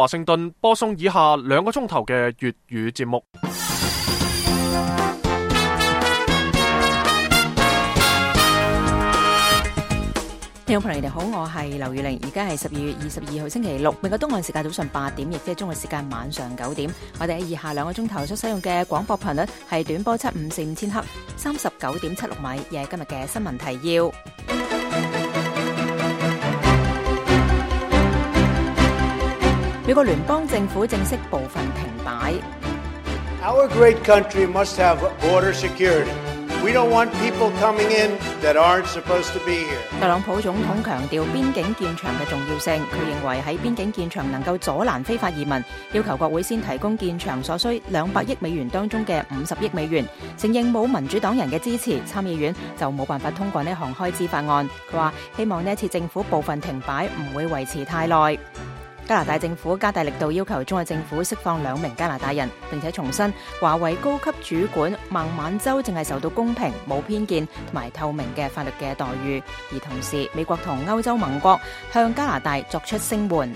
華盛頓播送以下2個鐘頭嘅粵語節目。聽眾朋友，你哋好，我係劉宇玲，而家係12月22號星期六，美國東岸時間早上8點，亦即係中國時間晚上9點。我哋喺以下2個鐘頭所使用嘅廣播頻率係短波754千赫，39.76米，亦係今日嘅新聞提要。美國聯邦政府正式部分停擺。 Our great country must have border security. We don't want people coming in that aren't supposed to be here. 特朗普總統強調邊境建牆嘅重要性，佢認為喺邊境建牆能夠阻攔非法移民，要求國會先提供建牆所需200億美元當中嘅50億美元，承認冇民主黨人嘅支持，參議院就冇辦法通過呢項開支法案。佢話希望呢一次政府部分停擺唔會維持太耐。加拿大政府加大力度要求中國政府釋放2名加拿大人，並且重申華為高級主管孟晚舟淨係受到公平、冇偏見同埋透明嘅法律嘅待遇。而同時，美國同歐洲盟國向加拿大作出聲援。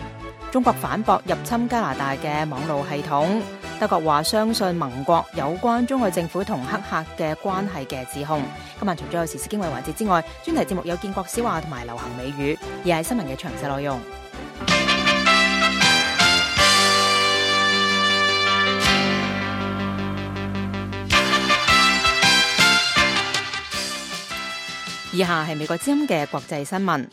中國反駁入侵加拿大嘅網路系統。德國話相信盟國有關中國政府同黑客嘅關係嘅指控。今晚除咗有時事經緯環節之外，專題節目有建國小話同埋流行美語，而係新聞嘅詳細內容。以下係美國之音嘅國際新聞。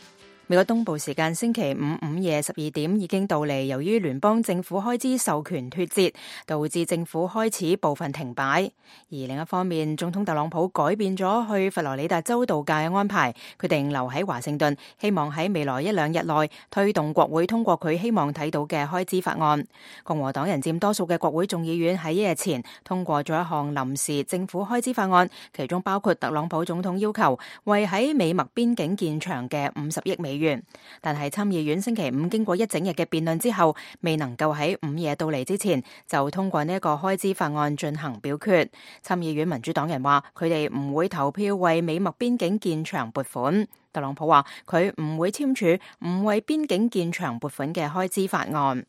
美國東部時間星期五午夜12點已經到嚟，由於聯邦政府開支授權脫節，導致政府開始部分停擺。而另一方面，總統特朗普改變咗去佛羅里達州度假嘅安排，決定留喺華盛頓，希望喺未來1-2日內推動國會通過佢希望睇到嘅開支法案。共和黨人佔多數嘅國會眾議院喺1日前通過咗一項臨時政府開支法案，其中包括特朗普總統要求為喺美墨邊境建牆嘅50億美元。但係參議院星期五經過一整日嘅辯論之後，未能夠喺午夜到嚟之前就通過呢一個開支法案進行表決。參議院民主黨人話佢哋唔會投票為美墨邊境建牆撥款。特朗普話佢唔會簽署唔為邊境建牆撥款嘅開支法案。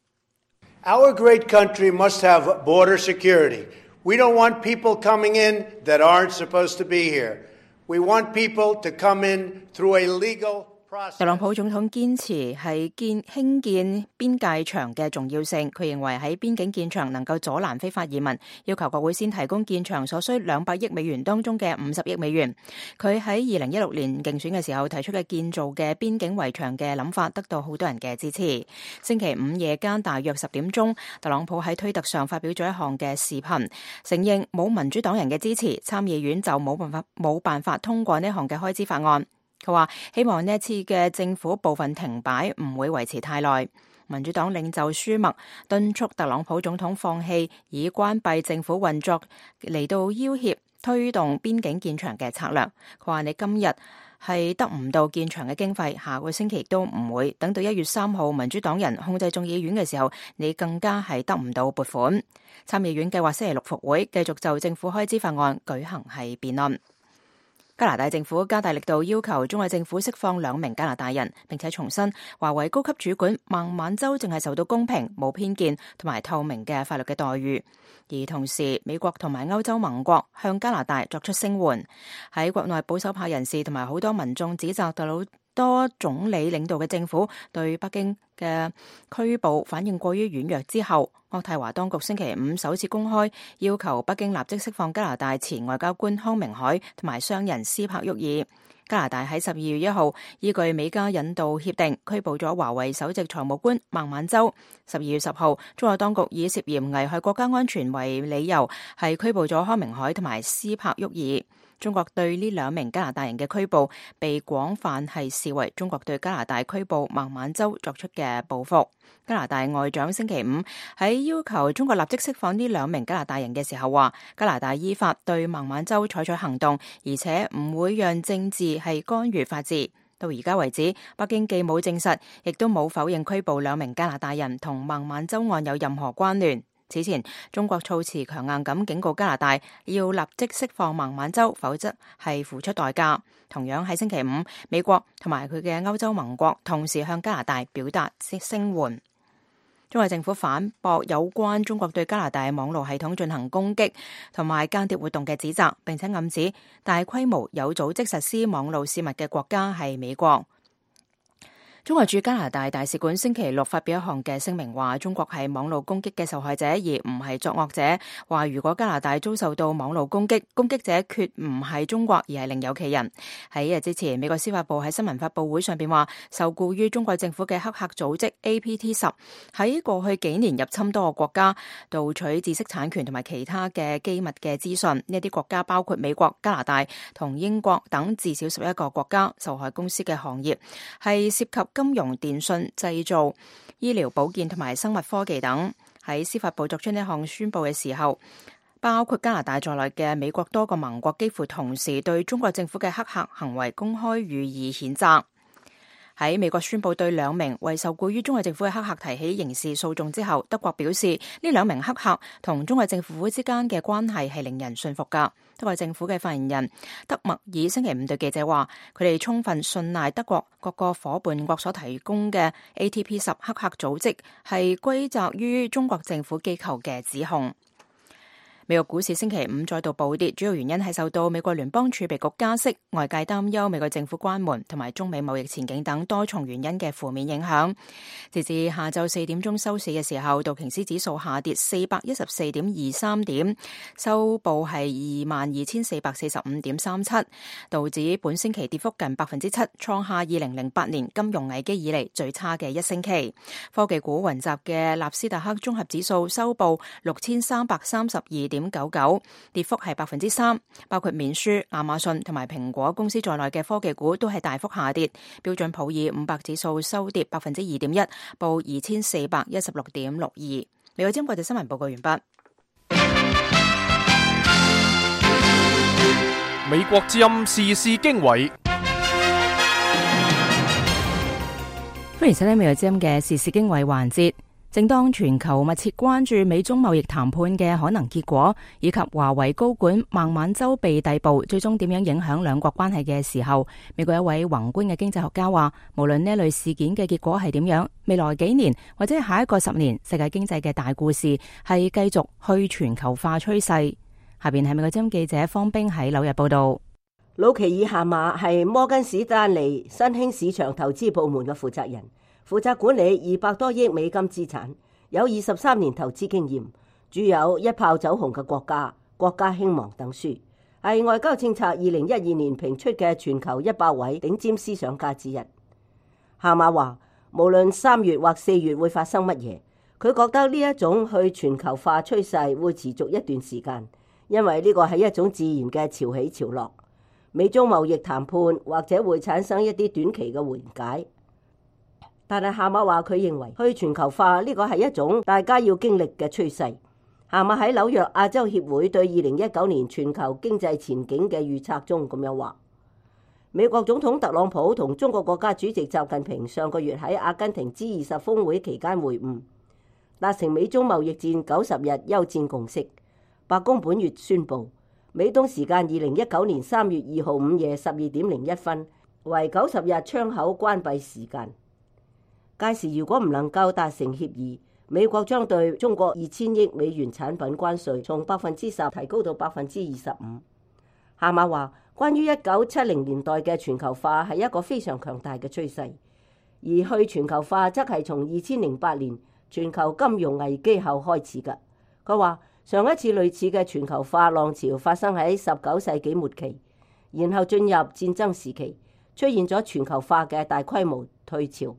Our great country must have border security. We don't want people coming in that aren't supposed to be here. We want people to come in through a legal process. 特朗普總統堅持係興建邊界牆嘅重要性，佢認為喺邊境建牆能夠阻攔非法移民，要求國會先提供建牆所需200億美元當中嘅50億美元。佢喺2016年競選嘅時候提出嘅建造嘅邊境圍牆嘅諗法得到好多人嘅支持。星期五夜間大約10點鐘，特朗普喺推特上發表咗一項嘅視頻，承認冇民主黨人嘅支持，參議院就冇辦法通過呢項嘅開支法案。佢話希望呢一次嘅政府部分停擺唔會維持太耐。民主黨領袖舒默敦促特朗普總統放棄以關閉政府運作嚟到要挾推動邊境建牆嘅策略。佢話你今日係得唔到建牆嘅經費，下個星期亦都唔會。等到1月3號民主黨人控制眾議院嘅時候，你更加係得唔到撥款。參議院計劃星期6復會，繼續就政府開支法案舉行係辯論。加拿大政府加大力度要求中國政府釋放2名加拿大人，並且重申華為高級主管孟晚舟淨係受到公平、冇偏見同埋透明嘅法律嘅待遇。而同時，美國同埋歐洲盟國向加拿大作出聲援。喺國內保守派人士同埋好多民眾指責特魯多總理領導嘅政府對北京嘅拘捕反應過於軟弱之後，渥太華當局星期五首次公開要求北京立即釋放加拿大前外交官康明凱同埋商人斯柏沃爾。加拿大喺12月1號依據美加引渡協定拘捕咗華為首席財務官孟晚舟。12月10號，中國當局以涉嫌危害國家安全為理由，係拘捕咗康明凱同埋斯柏沃爾。中國對呢2名加拿大人嘅拘捕被廣泛係視為中國對加拿大拘捕孟晚舟作出嘅報復。加拿大外長星期五喺要求中國立即釋放呢2名加拿大人嘅時候話，加拿大依法對孟晚舟採取行動，而且唔會讓政治係干預法治。到而家為止，北京既冇證實，亦都冇否認拘捕2名加拿大人同孟晚舟案有任何關聯。此前，中國措辭強硬咁警告加拿大要立即釋放孟晚舟，否則係付出代價。同樣喺星期五，美國同埋佢嘅歐洲盟國同時向加拿大表達聲援。中國政府反駁有關中國對加拿大網絡系統進行攻擊同埋間諜活動嘅指責，並且暗指大規模有組織實施網絡泄密嘅國家係美國。中國駐加拿大大使館星期六發表一項嘅聲明，話中國係網絡攻擊嘅受害者，而唔係作惡者。話如果加拿大遭受到網絡攻擊，攻擊者決唔係中國，而係另有其人。喺一日之前，美國司法部喺新聞發佈會上邊話，受僱於中國政府嘅黑客組織 APT10 喺過去幾年入侵多個國家，盜取知識產權同埋其他嘅機密嘅資訊。呢啲國家包括美國、加拿大同英國等至少11個國家。受害公司嘅行業係涉及金融、電信、製造、醫療保健同埋生物科技等。喺司法部作出呢項宣布嘅時候，包括加拿大在內嘅美國多個盟國幾乎同時對中國政府嘅黑客行為公開予以譴責。喺美國宣布對2名為受僱於中國政府嘅黑客提起刑事訴訟之後，德國表示呢2名黑客同中國政府之間嘅關係係令人信服㗎。德國政府嘅發言人德默爾星期5對記者話，佢哋充分信賴德國各個伙伴國所提供嘅 APT10 黑客組織係歸責於中國政府機構嘅指控。美國股市星期5再度暴跌，主要原因係受到美國聯邦儲備局加息、外界擔憂美國政府關門同埋中美貿易前景等多重原因嘅負面影響。截至下晝4點鐘收市嘅時候，道瓊斯指數下跌414.23點，收報係22,445.37，道指本星期跌幅近7%，創下2008年金融危機以嚟最差嘅一星期。科技股雲集嘅納斯達克綜合指數收報6332.99，跌幅係3%，包括面書、亞馬遜同埋蘋果公司在內嘅科技股都係大幅下跌。標準普爾500指數收跌2.1%，報2416.62。美國之音國際新聞報告完畢。美國之音時事經緯，歡迎收聽美國之音嘅時事經緯環節。正當全球密切關注美中貿易談判嘅可能結果，以及華為高管孟晚舟被逮捕，最終點樣影響兩國關係嘅時候，美國一位宏觀嘅經濟學家話，無論呢類事件嘅結果係點樣，未來幾年或者下一個10年，世界經濟嘅大故事係繼續去全球化趨勢。下邊係美國之音記者方冰喺紐約報道。魯奇爾夏馬係摩根士丹利新興市場投資部門嘅負責人，負責管理200多億美金資產，有23年投資經驗，著有一炮走紅嘅國家興亡等書，係外交政策2012年評出嘅全球100位頂尖思想家之一。夏馬話，無論3月或4月會發生乜嘢，佢覺得呢一種去全球化趨勢會持續一段時間，因為呢個係一種自然嘅潮起潮落。美中貿易談判或者會產生一啲短期嘅緩解。但係夏馬話，佢認為去全球化呢個係一種大家要經歷嘅趨勢。夏馬喺紐約亞洲協會對2019年全球經濟前景嘅預測中咁樣話，美國總統特朗普同中國國家主席習近平上個月喺阿根廷 G20 峰會期間會晤，達成美中貿易戰90日休戰共識。白宮本月宣布，美東時間2019年3月2號午夜12點01分為90日窗口關閉時間。屆時如果唔能夠達成協議，美國將對中國2000億美元產品關稅從10%提高到25%。夏馬話，關於1970年代嘅全球化係一個非常強大嘅趨勢，而去全球化則係從2008年全球金融危機後開始嘅。佢話，上一次類似嘅全球化浪潮發生喺19世紀末期，然後進入戰爭時期，出現咗全球化嘅大規模退潮。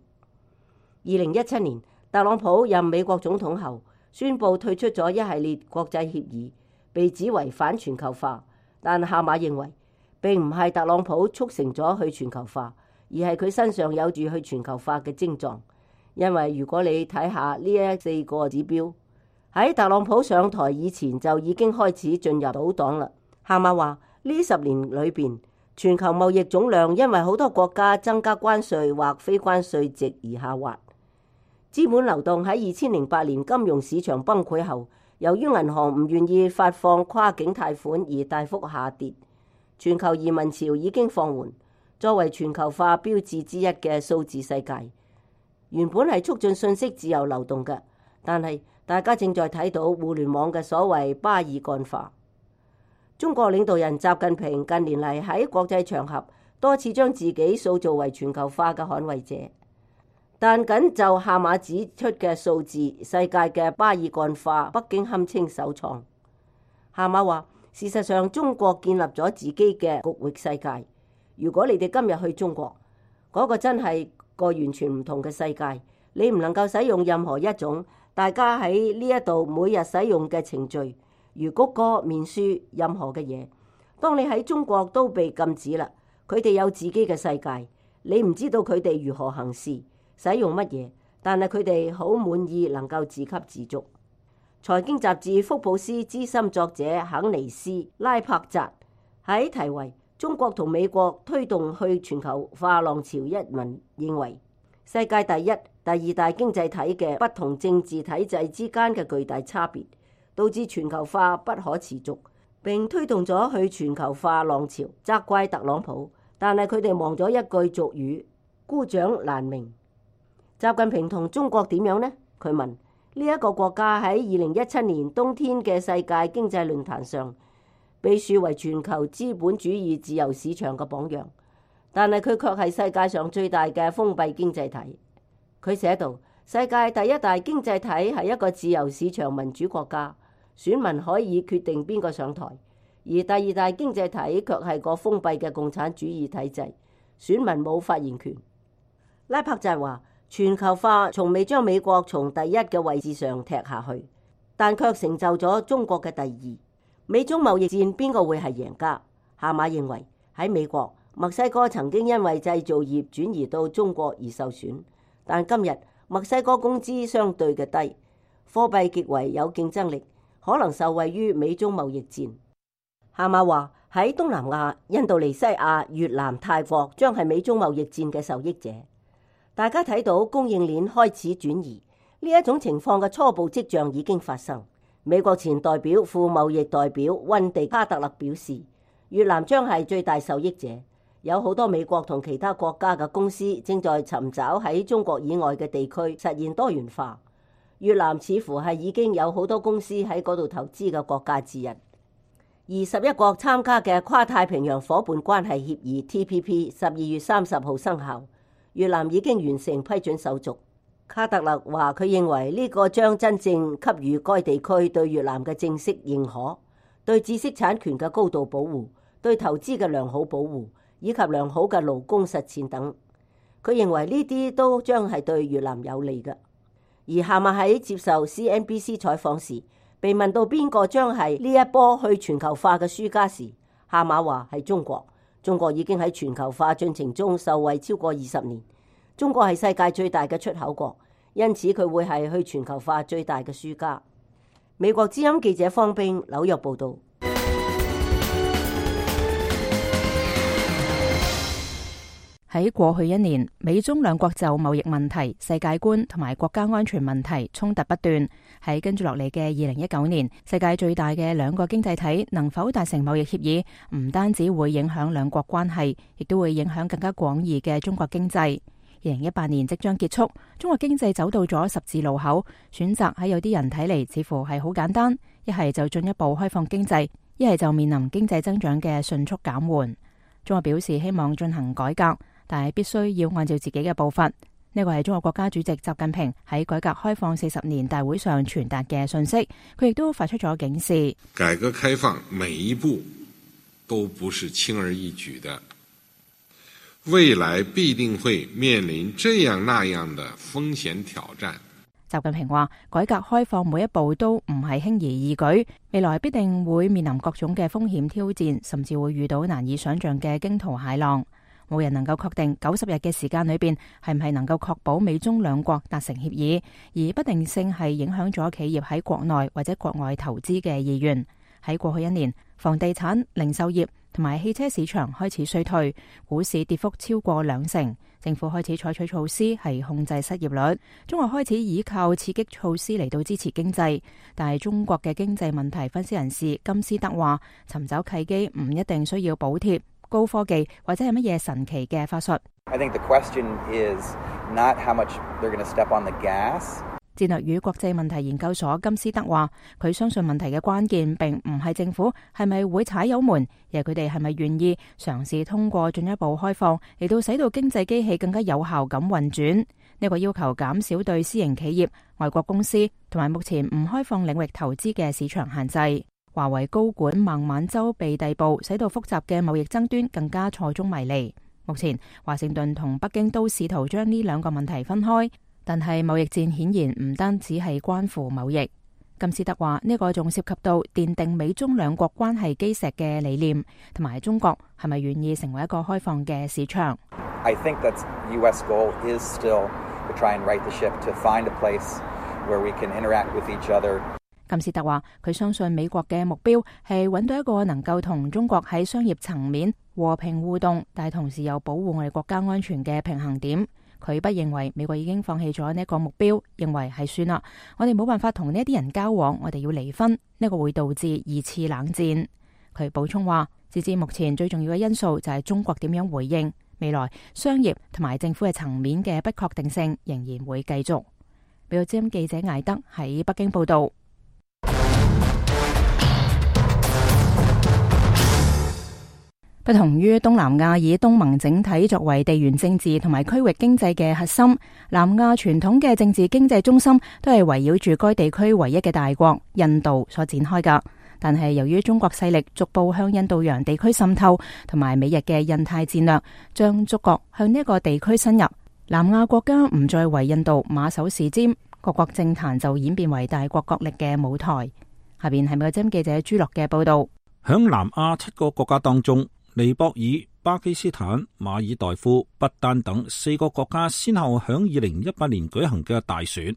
2017年，特朗普任美國總統後，宣布退出咗一系列國際協議，被指為反全球化。但夏馬認為，並唔係特朗普促成咗去全球化，而係佢身上有住去全球化嘅徵狀。因為如果你睇下呢4個指標，喺特朗普上台以前就已經開始進入倒檔啦。夏馬話，呢10年裏邊，全球貿易總量因為好多國家增加關稅或非關稅值而下滑。資本流動喺2008年金融市場崩潰後，由於銀行唔願意發放跨境貸款而大幅下跌。全球移民潮已經放緩。作為全球化標誌之一嘅數字世界，原本係促進信息自由流動嘅，但係大家正在睇到互聯網嘅所謂巴爾幹化。中國領導人習近平近年嚟喺國際場合多次將自己塑造為全球化嘅捍衛者，但僅就夏馬指出嘅數字，世界嘅巴爾幹化，北京堪稱首創。夏馬話：事實上，中國建立咗自己嘅局域世界。如果你哋今日去中國，嗰個真係個完全唔同嘅世界。你唔能夠使用任何一種大家喺呢一度每日使用嘅程序，如谷歌、面書，任何嘅嘢。當你喺中國都被禁止啦，佢哋有自己嘅世界，你唔知道佢哋如何行事、使用乜嘢，但係佢哋好滿意能夠自給自足。財經雜誌福布斯資深作者肯尼斯拉柏扎喺題為中國同美國推動去全球化浪潮一文認為，世界第一、第二大經濟體嘅不同政治體制之間嘅巨大差別，導致全球化不可持續，並推動咗去全球化浪潮。責怪特朗普，但係佢哋忘咗一句俗語：孤掌難鳴。習近平同中國點樣呢？佢問。呢一個國家喺2017年冬天嘅世界經濟論壇上被樹為全球資本主義自由市場嘅榜樣，但係佢卻係世界上最大嘅封閉經濟體。佢寫道：世界第一大經濟體係一個自由市場民主國家，選民可以決定邊個上台；而第二大經濟體卻係個封閉嘅共產主義體制，選民冇發言權。拉柏扎話：全球化從未將美國從第一嘅位置上踢下去，但卻成就咗中國嘅第二。美中貿易戰邊個會係贏家？夏馬認為喺美國，墨西哥曾經因為製造業轉移到中國而受損，但今日墨西哥工資相對嘅低，貨幣極為有競爭力，可能受惠於美中貿易戰。夏馬話喺東南亞、印度尼西亞、越南、泰國將係美中貿易戰嘅受益者。大家睇到供應鏈開始轉移，呢一種情況嘅初步跡象已經發生。美國前代表副貿易代表溫迪卡特勒表示，越南將係最大受益者。有好多美國同其他國家嘅公司正在尋找喺中國以外嘅地區實現多元化。越南似乎係已經有好多公司喺嗰度投資嘅國家之一。21國參加嘅跨太平洋夥伴關係協議 TPP 12月30號生效。越南已經完成批准手續。卡特勒話：佢認為呢個將真正給予該地區對越南嘅正式認可，對知識產權嘅高度保護，對投資嘅良好保護，以及良好嘅勞工實踐等。佢認為呢啲都將係對越南有利嘅。而夏馬喺接受 CNBC 採訪時，被問到邊個將係呢一波去全球化嘅輸家時，夏馬話係中國。中國已經喺全球化進程中受惠超過20年。中國係世界最大嘅出口國，因此佢會係去全球化最大嘅輸家。美國之音記者方冰紐約報道。喺過去一年，美中兩國就貿易問題、世界觀同埋國家安全問題衝突不斷。喺跟住落嚟嘅2019年，世界最大嘅兩個經濟體能否達成貿易協議，唔單止會影響兩國關係，亦都會影響更加廣義嘅中國經濟。2018年即將結束，中國經濟走到咗十字路口，選擇喺有啲人睇嚟似乎係好簡單，一係就進一步開放經濟，一係就面臨經濟增長嘅迅速減緩。中國表示希望進行改革，但係必須要按照自己嘅步伐。呢個係中國國家主席習近平喺改革開放40年大會上傳達嘅信息。佢亦都發出咗警示：改革開放每一步都不是輕而易舉的，未來必定會面臨這樣那樣的風險挑戰。習近平話：改革開放每一步都唔係輕而易舉，未來必定會面臨各種嘅風險挑戰，甚至會遇到難以想象嘅驚濤駭浪。冇人能夠確定90日嘅時間裏邊係唔係能夠確保美中兩國達成協議，而不定性係影響咗企業喺國內或者國外投資嘅意願。喺過去一年，房地產、零售業同埋汽車市場開始衰退，股市跌幅超過2成，政府開始採取措施係控制失業率。中國開始依靠刺激措施嚟到支持經濟，但係中國嘅經濟問題分析人士金斯德話：尋找契機唔一定需要補貼、高科技或者係乜嘢神奇嘅法術。I think the question is not how much they're going to step on the gas. 戰略與國際問題研究所金斯德話，佢相信問題嘅關鍵並唔係政府係咪會踩油門，而係佢哋係咪願意嘗試通過進一步開放嚟到使到經濟機器更加有效咁運轉。呢個要求減少對私營企業、外國公司同埋目前唔開放領域投資嘅市場限制。華為高管孟晚舟被逮捕，使到複雜嘅貿易爭端更加錯綜迷離。目前華盛頓同北京都試圖將呢兩個問題分開，但係貿易戰顯然唔單止係關乎貿易。金斯德話，呢個仲涉及到奠定美中兩國關係基石嘅理念，同埋中國係咪願意成為一個開放嘅市場。I think that U.S. goal is still to try and right the ship, to find a place where we can interact with each other. 金斯特話，佢相信美國嘅目標係揾到一個能夠同中國喺商業層面和平互動，但係同時又保護我哋國家安全嘅平衡點。佢不認為美國已經放棄咗呢一個目標，認為係算啦，我哋冇辦法同呢一啲人交往，我哋要離婚，呢個會導致二次冷戰。佢補充話，截至目前最重要嘅因素就係中國點樣回應，未來商業同埋政府嘅層面嘅不確定性仍然會繼續。美國之音記者艾德喺北京報道。不同於東南亞以東盟整體作為地緣政治同埋區域經濟嘅核心，南亞傳統嘅政治經濟中心都係圍繞住該地區唯一嘅大國印度所展開㗎。但係由於中國勢力逐步向印度洋地區滲透，同埋美日嘅印太戰略將觸角向呢一個地區伸入，南亞國家唔再為印度馬首是瞻，各國政壇就演變為大國角力嘅舞台。下邊係美國之音記者朱樂嘅報道。響南亞7個國家當中，尼泊爾、巴基斯坦、馬爾代夫、不丹等4個國家先後響2018年舉行嘅大選，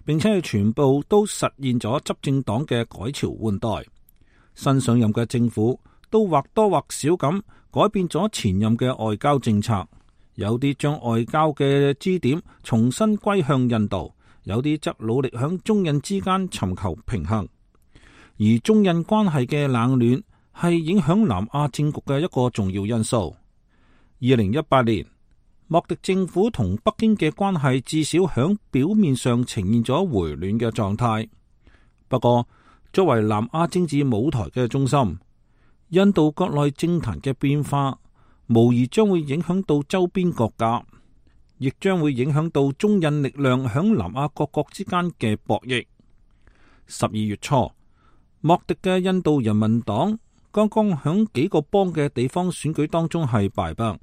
並且係全部都實現咗執政黨嘅改朝換代。新上任嘅政府都或多或少咁改變咗前任嘅外交政策，有啲將外交嘅支點重新歸向印度，有啲則努力響中印之間尋求平衡。而中印關係嘅冷暖係影響南亞政局嘅一個重要因素。2018年，莫迪政府同北京嘅關係至少響表面上呈現咗回暖嘅狀態。不過，作為南亞政治舞台嘅中心，印度國內政壇嘅變化，無疑將會影響到周邊國家，亦將會影響到中印力量響南亞各國之間嘅博弈。12月初，莫迪嘅印度人民黨剛剛響幾個邦嘅地方選舉當中係敗北，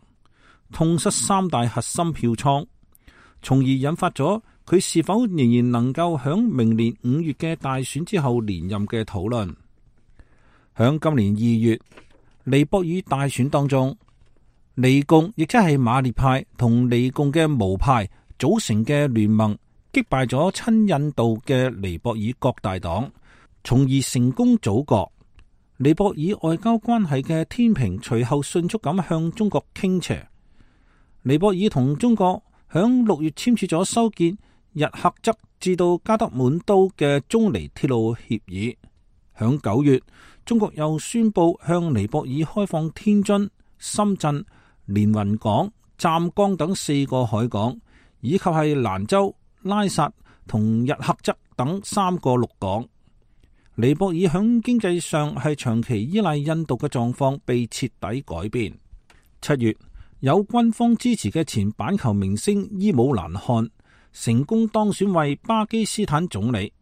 痛失3大核心票倉，從而引發咗佢是否仍然能夠響明年5月嘅大選之後連任嘅討論。響今年2月尼泊爾大選當中，尼共亦即係馬列派同尼共嘅巫派組成嘅聯盟擊敗咗親印度嘅尼泊爾各大黨，從而成功組閣。尼泊爾外交關係嘅天平隨後迅速咁向中國傾斜。尼泊爾同中國響6月簽署咗修建日喀則至到加德滿都嘅中尼鐵路協議。響9月，中國又宣布向尼泊爾開放天津、深圳、連雲港、湛江等4個海港，以及係蘭州、拉薩同日喀則等3個陸港。尼泊爾響經濟上係長期依賴印度嘅狀況被徹底改變。7月，有軍方支持嘅前板球明星伊姆蘭汗成功當選為巴基斯坦總理，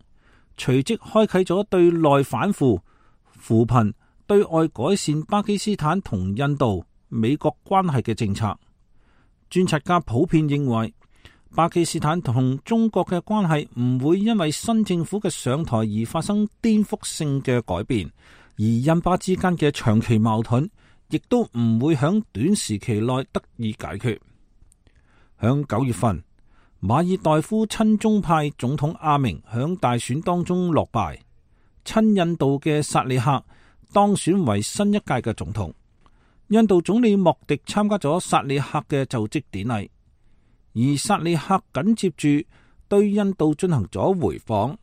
隨即開啟咗對內反腐、扶貧、對外改善巴基斯坦同印度、美國關係嘅政策。觀察家普遍認為，巴基斯坦同中國嘅關係唔會因為新政府嘅上台而發生顛覆性嘅改變，而印巴之間嘅長期矛盾亦都唔會響短時期內得以解決。響9月份，馬爾代夫親中派總統阿明響大選當中落敗，親印度嘅薩利克當選為新一屆嘅總統。印度總理莫迪參加咗薩利克嘅就職典禮，而薩利克緊接住對印度進行咗回訪。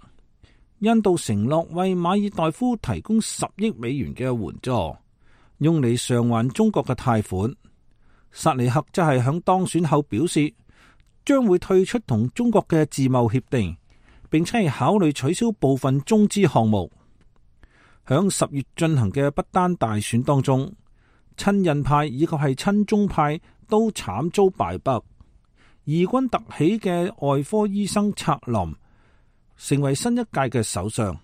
印度承諾為馬爾代夫提供10億美元嘅援助，用嚟償還中國嘅貸款。薩利克則係響當選後表示，將會退出同中國嘅自貿協定，並且係考慮取消部分中資項目。響10月進行嘅不丹大選當中，親印派以及係親中派都慘遭敗北。異軍突起嘅外科醫生策林成為新一屆嘅首相。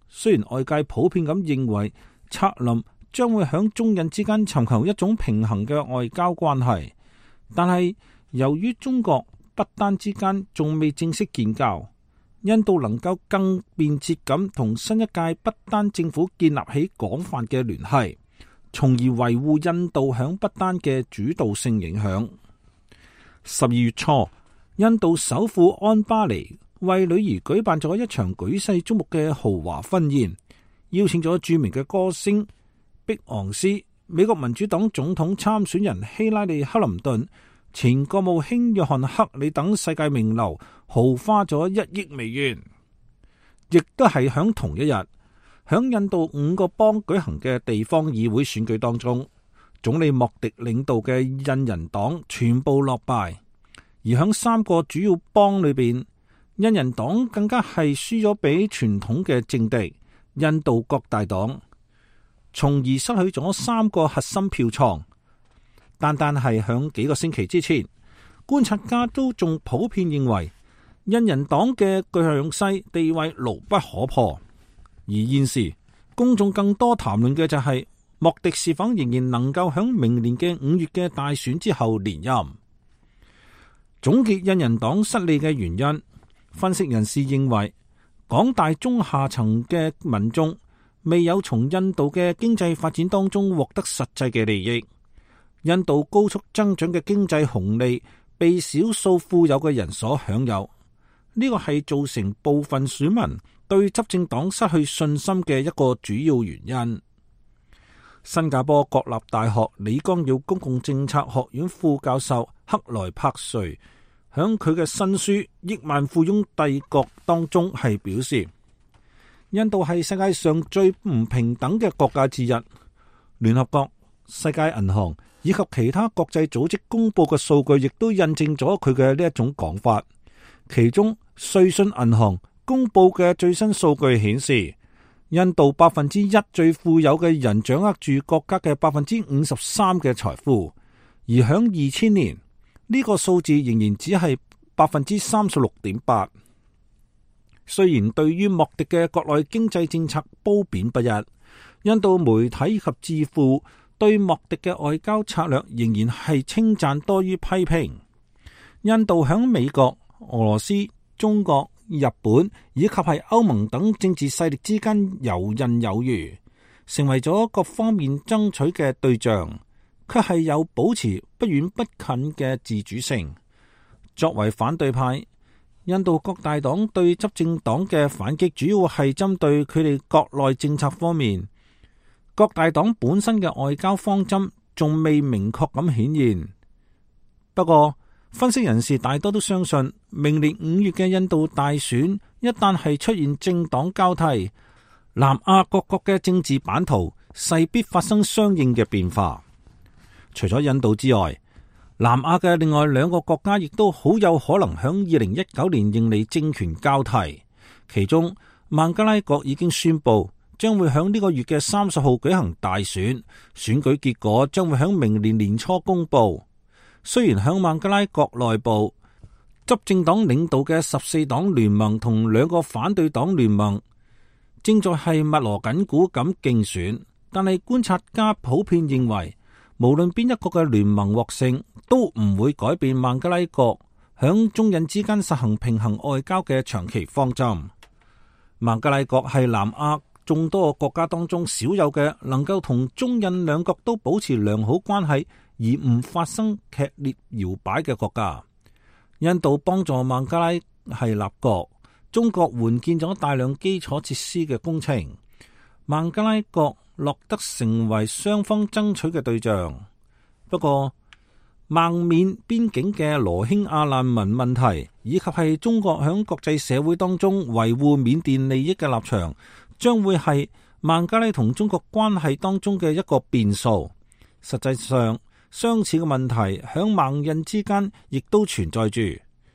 雖然外界普遍咁認為策林將會響中印之間尋求一種平衡嘅外交關係，但係由於中國不丹之間仲未正式建交，印度能夠更便捷咁同新一屆不丹政府建立起廣泛嘅聯繫，從而維護印度響不丹嘅主導性影響。12月初，印度首富安巴尼為女兒舉辦咗一場舉世矚目嘅豪華婚宴，邀請咗著名嘅歌星碧昂斯、美國民主黨總統參選人希拉里·克林頓、前國務卿約翰·克里等世界名流，豪花咗1億美元。亦都係響同一日，響印度5個邦舉行嘅地方議會選舉當中，總理莫迪領導嘅印人黨全部落敗，而響3個主要邦裏邊，印人黨更加係輸咗俾傳統嘅政敵印度國大黨，從而失去咗3個核心票倉。單係響幾個星期之前，觀察家都仲普遍認為印人黨嘅強勢地位牢不可破。而現時公眾更多談論嘅就係莫迪是否仍然能夠響明年嘅5月嘅大選之後連任。總結印人黨失利嘅原因，分析人士認為廣大中下層嘅民眾未有從印度嘅經濟發展當中獲得實際嘅利益。印度高速增長嘅經濟紅利被少數富有嘅人所享有，呢個係造成部分選民對執政黨失去信心嘅一個主要原因。新加坡國立大學李光耀公共政策學院副教授克萊柏瑞響佢嘅新書《億萬富翁帝國》當中係表示，印度係世界上最唔平等嘅國家之一。聯合國、世界銀行以及其他國際組織公布嘅數據，亦都印證咗佢嘅呢一種講法。其中，瑞信銀行公布嘅最新數據顯示，印度1%最富有嘅人掌握住國家嘅53%嘅財富，而響2000年呢個數字仍然只係36.8%。雖然對於莫迪嘅國內經濟政策褒貶不一，印度媒體及智庫對莫迪嘅外交策略仍然係稱讚多於批評。印度響美國、俄羅斯、中國、日本以及係歐盟等政治勢力之間游刃有餘，成為咗各方面爭取嘅對象，卻係有保持不遠不近嘅自主性。作為反對派，印度國大黨對執政黨嘅反擊主要係針對佢哋國內政策方面。國大黨本身嘅外交方針仲未明確咁顯現。不過，分析人士大多都相信，明年5月嘅印度大選一旦係出現政黨交替，南亞各國嘅政治版圖勢必發生相應嘅變化。除咗印度之外，南亞嘅另外2個國家亦都好有可能響2019年迎嚟政權交替。其中，孟加拉國已經宣布將會響呢個月嘅30號舉行大選，選舉結果將會響明年年初公布。雖然響孟加拉國內部，執政黨領導嘅14黨聯盟同2個反對黨聯盟正在係密鑼緊鼓咁競選，但係觀察家普遍認為，無論邊一個嘅聯盟獲勝，都唔會改變孟加拉國響中印之間實行平衡外交嘅長期方針。孟加拉國係南亞眾多國家當中少有嘅能夠同中印兩國都保持良好關係而唔發生劇烈搖擺嘅國家。印度幫助孟加拉係立國，中國援建咗大量基礎設施嘅工程，孟加拉國落得成為雙方爭取嘅對象。不過，孟緬邊境嘅羅興亞難民問題，以及係中國響國際社會當中維護緬甸利益嘅立場，將會係孟加拉同中國關係當中嘅一個變數。實際上，相似嘅問題響孟印之間亦都存在住。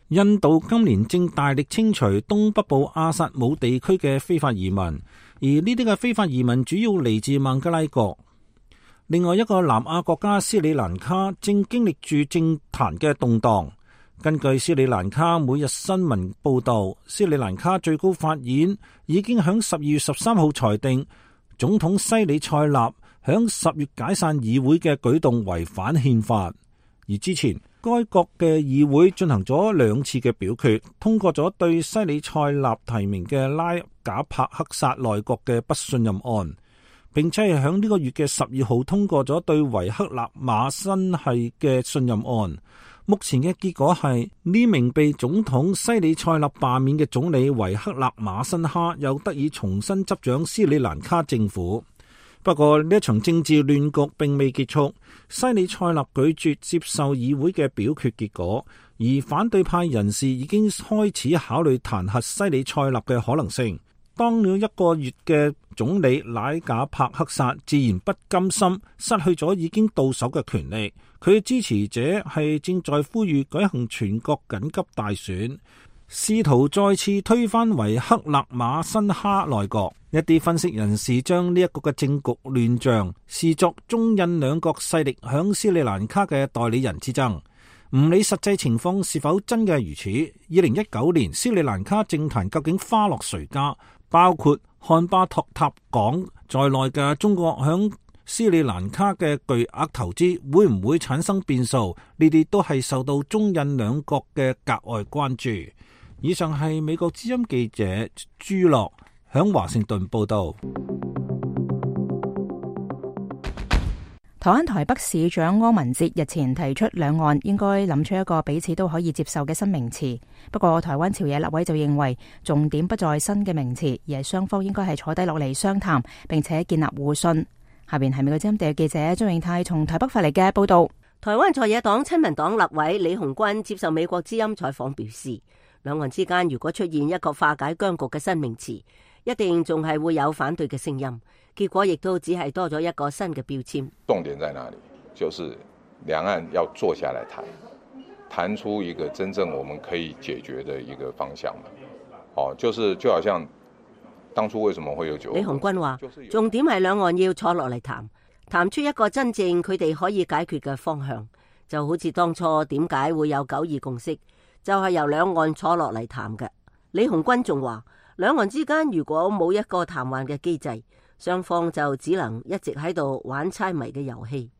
印度今年正大力清除東北部阿薩姆地區嘅非法移民，而呢啲嘅非法移民主要嚟自孟加拉國。另外一個南亞國家斯里蘭卡正經歷住政壇嘅動盪。根據斯里蘭卡每日新聞報道，斯里蘭卡最高法院已經響12月13號裁定總統西里塞納響10月解散議會嘅舉動違反憲法。而之前該國嘅議會進行咗2次嘅表決，通過咗對西里塞納提名嘅拉賈帕克薩內閣嘅不信任案，並且係響呢個月嘅12號通過咗對維克納馬辛系嘅信任案。目前嘅結果係呢名被總統西里塞納罷免嘅總理維克納馬辛哈又得以重新執掌斯里蘭卡政府。不過呢一場政治亂局並未結束，西里塞納拒絕接受議會嘅表決結果，而反對派人士已經開始考慮彈劾西里塞納嘅可能性。當了1個月嘅總理拉賈帕克薩自然不甘心失去咗已經到手嘅權力，佢嘅支持者係正在呼籲舉行全國緊急大選，試圖再次推翻維克納馬辛哈內閣。一啲分析人士將呢一個嘅政局亂象視作中印兩國勢力響斯里蘭卡嘅代理人之爭。唔理實際情況是否真嘅如此，2019年斯里蘭卡政壇究竟花落誰家？包括漢巴托塔港在內嘅中國響斯里蘭卡嘅巨額投資會唔會產生變數？呢啲都係受到中印兩國嘅格外關注。以上係美國之音記者朱樂響華盛頓報道。台灣台北市長柯文哲日前提出兩岸應該諗出一個彼此都可以接受嘅新名詞。不過台灣朝野立委就認為重點不在新嘅名詞，而係雙方應該係坐低落嚟商談，並且建立互信。下邊係美國之音地記者張永泰從台北發嚟嘅報道。台灣在野黨親民黨立委李鴻鈞接受美國之音採訪表示，兩岸之間如果出現一個化解僵局嘅新名詞，一定仲係會有反對嘅聲音，結果亦都只係多咗一個新嘅標籤。重點在哪裡？就是兩岸要坐下來談出一個真正我們可以解決的一個方向嘛。就好像當初為什麼會有九二共識？李鴻鈞話，重點係兩岸要坐落嚟談出一個真正佢哋可以解決嘅方向，就好似當初點解會有9·2共識，就係由兩岸坐落嚟談嘅。李鴻鈞仲話，兩岸之間如果冇一個談判嘅機制，雙方就只能一直喺度玩猜謎嘅遊戲。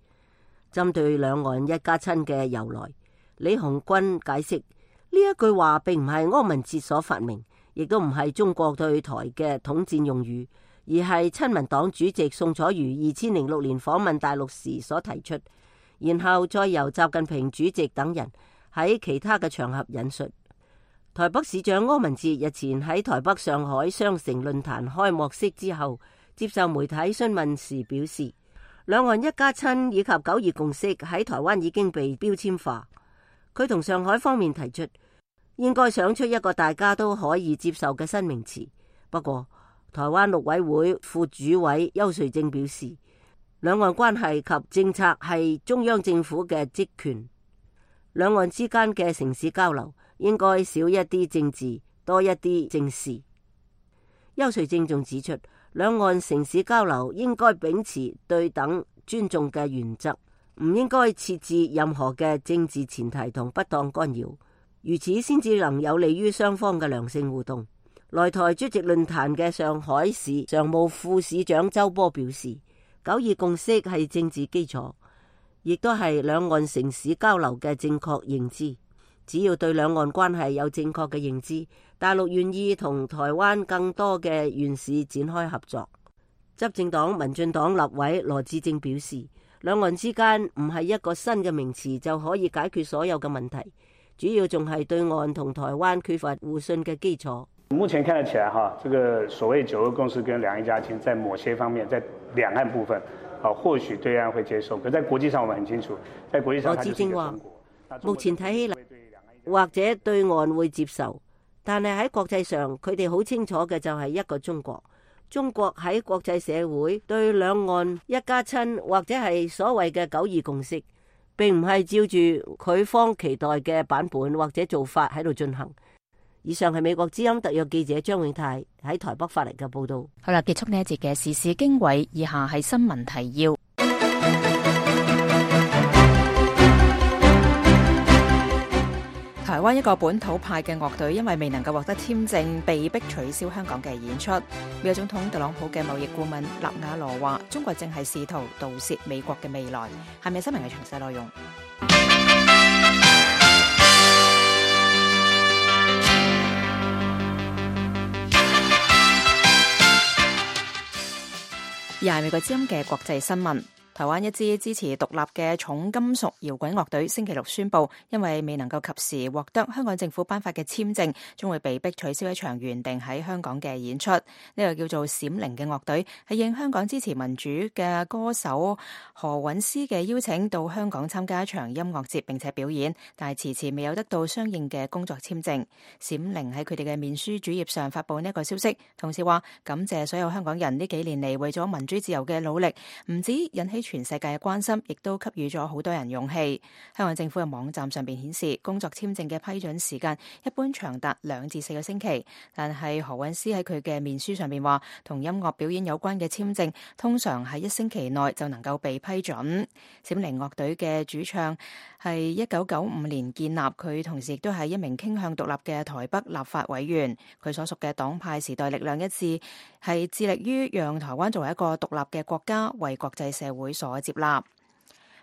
針對兩岸一家親嘅由來，李鴻鈞解釋，呢一句話並唔係柯文哲所發明，亦都唔係中國對台嘅統戰用語，而係親民黨主席宋楚瑜2006年訪問大陸時所提出，然後再由習近平主席等人喺其他嘅場合引述。台北市長柯文哲日前喺台北上海雙城論壇開幕式之後接受媒體詢問時表示，兩岸一家親以及9·2共識喺台灣已經被標籤化。佢同上海方面提出應該想出一個大家都可以接受嘅新名詞。不過台灣陸委會副主委邱瑞正表示，兩岸關係及政策係中央政府嘅職權，兩岸之間嘅城市交流應該少一啲政治，多一啲政事。邱瑞正仲指出，兩岸城市交流應該秉持對等尊重嘅原則，唔應該設置任何嘅政治前提同不當干擾，如此先至能有利於雙方嘅良性互動。來台出席論壇嘅上海市常務副市長周波表示，9·2共識係政治基礎，亦都係兩岸城市交流嘅正確認知。只要對兩岸關係有正確嘅認知，大陸願意同台灣更多嘅縣市展開合作。執政黨民進黨立委羅致政表示，兩岸之間唔係一個新嘅名詞就可以解決所有嘅問題，主要仲係對岸同台灣缺乏互信嘅基礎。目前看得起來這個所謂9·2共識跟兩岸一家親，在某些方面，在兩岸部分，或許對岸會接受，可在國際上我們很清楚，在國際上，羅致政話，目前睇起嚟或者對岸會接受，但係喺國際上，佢哋好清楚嘅就係一個中國。中國喺國際社會對兩岸一家親或者係所謂嘅9·2共識，並唔係照住佢方期待嘅版本或者做法喺度進行。以上係美國之音特約記者張永泰喺台北發嚟嘅報道。好啦，結束呢一節嘅時事經緯，以下係新聞提要。台灣一個本土派嘅樂隊因為未能夠獲得簽證，被迫取消香港嘅演出。美國總統特朗普嘅貿易顧問納瓦羅話：中國正係試圖盜竊美國嘅未來。係咪新聞嘅詳細內容？而係美國之音嘅國際新聞。台灣一支支持獨立嘅重金屬搖滾樂隊星期六宣布，因為未能夠及時獲得香港政府頒發嘅簽證，將會被迫取消一場原定喺香港嘅演出。呢個叫做閃靈嘅樂隊係應香港支持民主嘅歌手何韻詩嘅邀請到香港參加一場音樂節並且表演，但係遲遲未有得到相應嘅工作簽證。閃靈喺佢哋嘅面書主頁上發布呢個消息，同時話感謝所有香港人呢幾年嚟為咗民主自由嘅努力，唔止引起全世界嘅關心，亦都給予咗好多人勇氣。香港政府嘅網站上邊顯示，工作簽證嘅批准時間一般長達2至4個星期，但係何韻詩喺佢嘅面書上邊話，同音樂表演有關嘅簽證通常喺1星期內就能夠被批准。閃靈樂隊嘅主唱係1995年建立，佢同時亦都係一名傾向獨立嘅台北立法委員。佢所屬嘅黨派時代力量一致係致力於讓台灣作為一個獨立嘅國家，為國際社會所接納。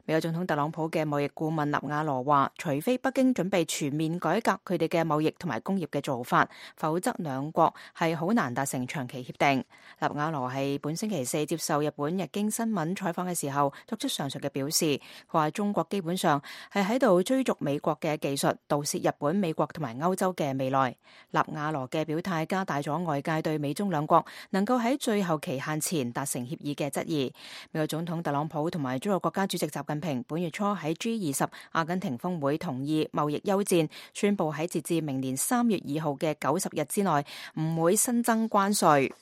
美國總統特朗普嘅貿易顧問納瓦羅話，除非北京準備全面改革佢哋嘅貿易同埋工業嘅做法，否則兩國係好難達成長期協定。納瓦羅係本星期4接受日本日經新聞採訪嘅時候作出上述嘅表示，佢話中國基本上係喺度追逐美國嘅技術，盜竊日本、美國同埋歐洲嘅未來。納瓦羅嘅表態加大咗外界對美中兩國能夠喺最後期限前達成協議嘅質疑。美國總統特朗普同埋中國國家主席習近平本月初喺 G20 阿根廷峰會同意貿易休戰，宣布喺截至明年3月2號嘅90日之內唔會新增關稅。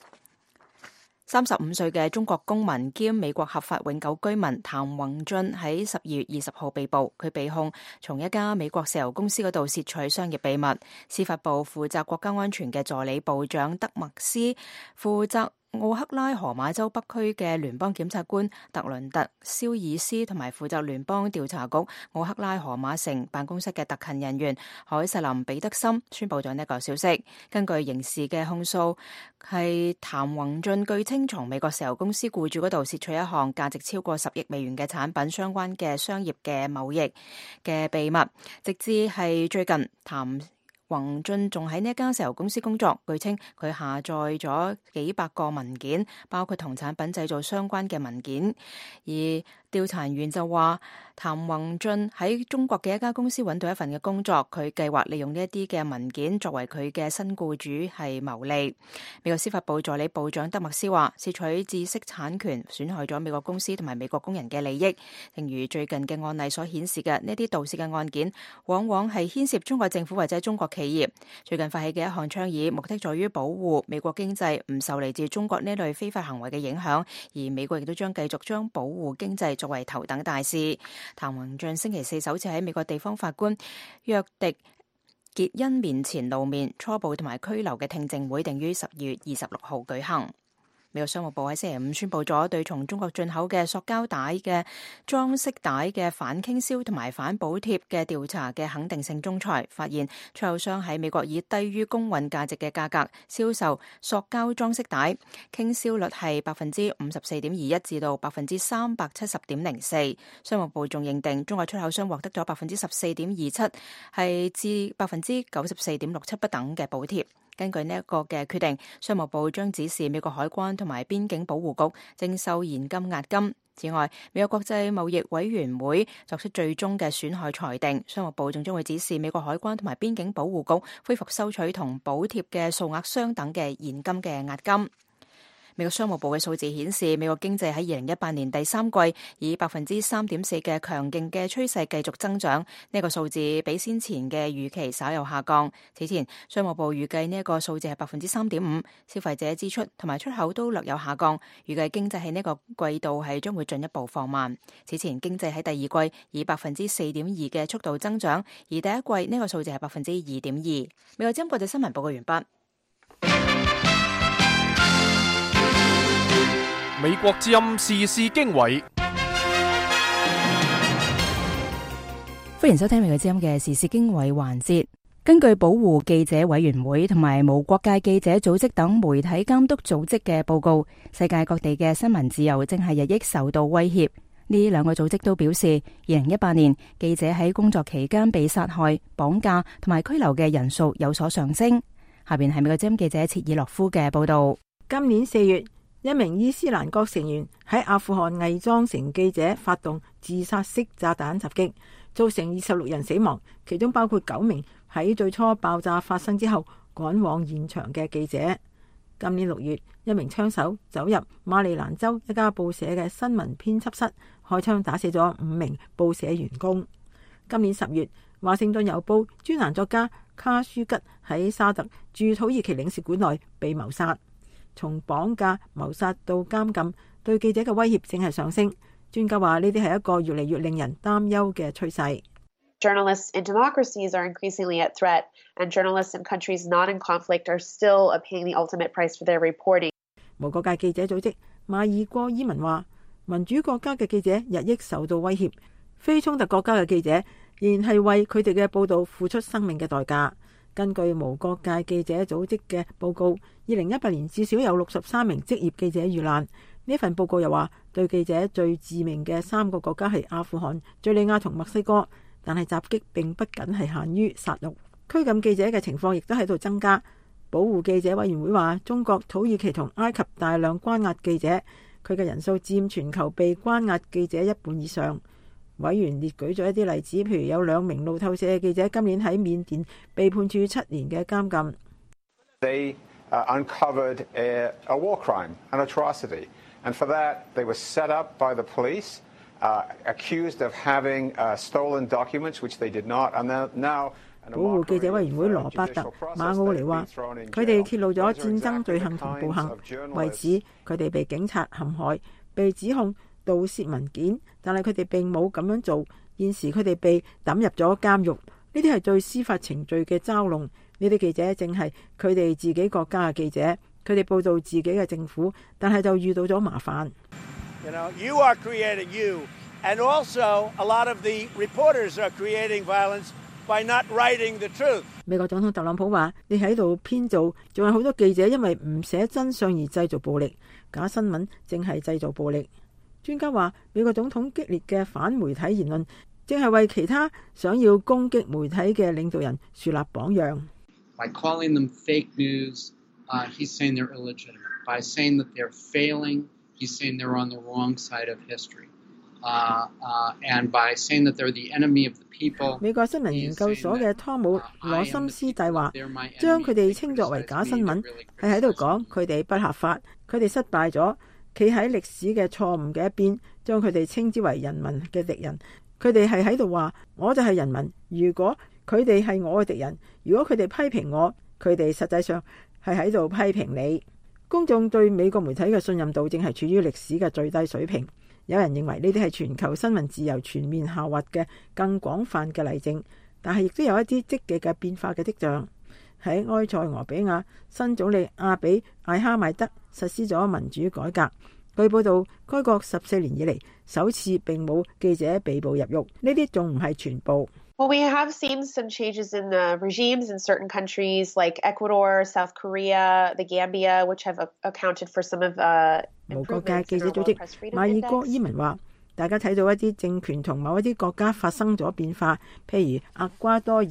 35歲嘅中國公民兼美國合法永久居民譚宏俊喺12月20號被捕，佢被控從一家美國石油公司嗰度竊取商業秘密。司法部負責國家安全嘅助理部長德麥斯負責奧克拉荷馬州北區嘅聯邦檢察官特倫特·肖爾斯同埋負責聯邦調查局奧克拉荷馬城辦公室嘅特勤人員海瑟琳·彼得森宣布咗呢個消息。根據刑事嘅控訴，係譚宏俊據稱從美國石油公司僱主嗰度竊取一項價值超過10億美元嘅產品相關嘅商業嘅貿易嘅秘密，直至係最近譚宏俊仲喺呢一間石油公司工作，據稱佢下載咗幾百個文件，包括同產品製造相關嘅文件。而調查員就話，譚宏俊喺中國嘅一家公司揾到一份嘅工作，佢計劃利用呢一啲嘅文件作為佢嘅新僱主係牟利。美國司法部助理部長德麥斯話，竊取知識產權損害咗美國公司同埋美國工人嘅利益。正如最近嘅案例所顯示嘅，呢啲盜竊嘅案件往往係牽涉中國政府或者中國企業。最近發起嘅一項倡議，目的在於保護美國經濟唔受嚟自中國呢類非法行為嘅影響，而美國亦都將繼續將保護經濟作為頭等大事。譚宏俊星期4首次喺美國地方法官約迪傑恩面前露面，初步同埋拘留嘅聽證會定於12月26號舉行。美國商務部喺星期5宣布咗對從中國進口嘅塑膠帶嘅裝飾帶嘅反傾銷同埋反補貼嘅調查嘅肯定性仲裁，發現出口商喺美國以低於公允價值嘅價格銷售塑膠裝飾帶，傾銷率係54.21%至到370.04%。商務部仲認定中國出口商獲得咗14.27%，係至94.67%不等嘅補貼。根據呢一個嘅決定，商務部將指示美國海關同埋邊境保護局徵收現金押金。此外，美國國際貿易委員會作出最終嘅損害裁定，商務部仲將會指示美國海關同埋邊境保護局恢復收取同補貼嘅數額相等嘅現金嘅押金。美美國商務部嘅數字顯示，美國經濟喺2018年第三季以3.4%嘅強勁嘅趨勢繼續增長，呢個數字比先前嘅預期稍有下降。此前商務部預計呢一個數字係3.5%，消費者支出同埋出口都略有下降，預計經濟喺呢個季度係將會進一步放慢。此前經濟喺第二季以4.2%嘅速度增長，而第一季呢個數字係2.2%。美國之音國際新聞報告完畢。美國之音時事經緯，歡迎收聽美國之音嘅時事經緯環節。根據保護記者委員會同埋無國界記者組織等媒體監督組織嘅報告，世界各地嘅新聞自由正係日益受到威脅。呢兩個組織都表示，2018年記者喺工作期間被殺害、綁架同埋拘留嘅人數有所上升。下邊係美國之音記者切爾諾夫嘅報道。今年4月，一名伊斯蘭國成員喺阿富汗偽裝成記者發動自殺式炸彈襲擊，造成26人死亡，其中包括9名喺最初爆炸發生之後趕往現場嘅記者。今年6月，一名槍手走入馬里蘭州一家報社嘅新聞編輯室，開槍打死咗5名報社員工。今年10月，華盛頓郵報專欄作家卡舒吉喺沙特駐土耳其領事館內被謀殺。從綁架、謀殺到監禁，對記者嘅威脅正係上升。專家話呢啲係一個越嚟越令人擔憂嘅趨勢。Journalists in democracies are increasingly at threat, and journalists in countries not in conflict are still paying the ultimate price for their reporting. 無國界記者組織馬爾戈伊文話，民主國家嘅記者日益受到威脅，非衝突國家嘅記者仍然係為佢哋嘅報道付出生命嘅代價。根據無國界記者組織嘅報告，2018年至少有63名職業記者遇難。呢份報告又話，對記者最致命嘅3個國家係阿富汗、敘利亞同墨西哥。但係襲擊並不僅係限於殺戮，拘禁記者嘅情況亦都喺度增加。保護記者委員會話，中國、土耳其同埃及大量關押記者，佢嘅人數佔全球被關押記者1半以上。委員列舉咗一啲例子，譬如有2名路透社嘅記者今年喺緬甸被判處7年嘅監禁。They uncovered a war crime, an atrocity, and for that they were set up by the police. Accused of having stolen documents, which they did not. And now, 保護記者委員會羅伯特馬奧尼話，佢哋揭露咗戰爭罪行同暴行，為此佢哋被警察陷害，被指控盜竊文件，但係佢哋並冇咁樣做。現時佢哋被抌入咗監獄，呢啲係對司法程序嘅嘲弄。呢啲記者正係佢哋自己國家嘅記者，佢哋報道自己嘅政府，但係就遇到咗麻煩。You know, you are creating you, and also a lot of the reporters are creating violence by not writing the truth. 美國總統特朗普話：你喺度編造，仲有好多記者因為唔寫真相而製造暴力，假新聞正係製造暴力。專家話，美國總統激烈嘅反媒體言論，正係為其他想要攻擊媒體嘅領導人樹立榜樣。By calling them fake news, he's saying they're illegitimate. By saying that they're failing.He's saying they're on the wrong side of history, and by saying that they're the enemy of the people. 美國新聞研究所嘅湯姆羅森斯蒂話，將佢哋稱作為假新聞，係喺度講佢哋不合法，佢哋失敗咗，企喺歷史嘅錯誤嘅一邊，將佢哋稱之為人民嘅敵人。佢哋係喺度話，我就係人民。如果佢哋係我嘅敵人，如果佢哋批評我，佢哋實際上係喺度批評你。公眾對美國媒體嘅信任度正係處於歷史嘅最低水平。有人認為呢啲係全球新聞自由全面下滑嘅更廣泛嘅例證，但係亦都有一啲積極嘅變化嘅跡象。喺埃塞俄比亞，新總理阿比艾哈邁德實施咗民主改革。據報道，該國14年以嚟首次並冇記者被捕入獄。呢啲仲唔係全部。Well, we have seen some changes in the regimes in certain countries like Ecuador, South Korea, the Gambia, which have accounted for some of無國界記者組織馬爾戈伊文話，大家睇到一啲政權同某一啲國家發生咗變化，譬如厄瓜多爾、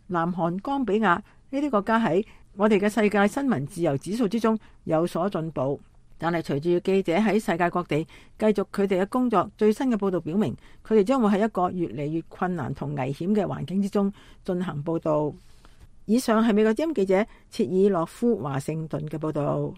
南韓、岡比亞呢啲國家喺我哋嘅世界新聞自由指數之中有所進步。但係隨住記者喺世界各地繼續佢哋嘅工作，最新嘅報道表明，佢哋將會喺一個越嚟越困難同危險嘅環境之中進行報道。以上係美國之音記者切爾諾夫華盛頓嘅報道。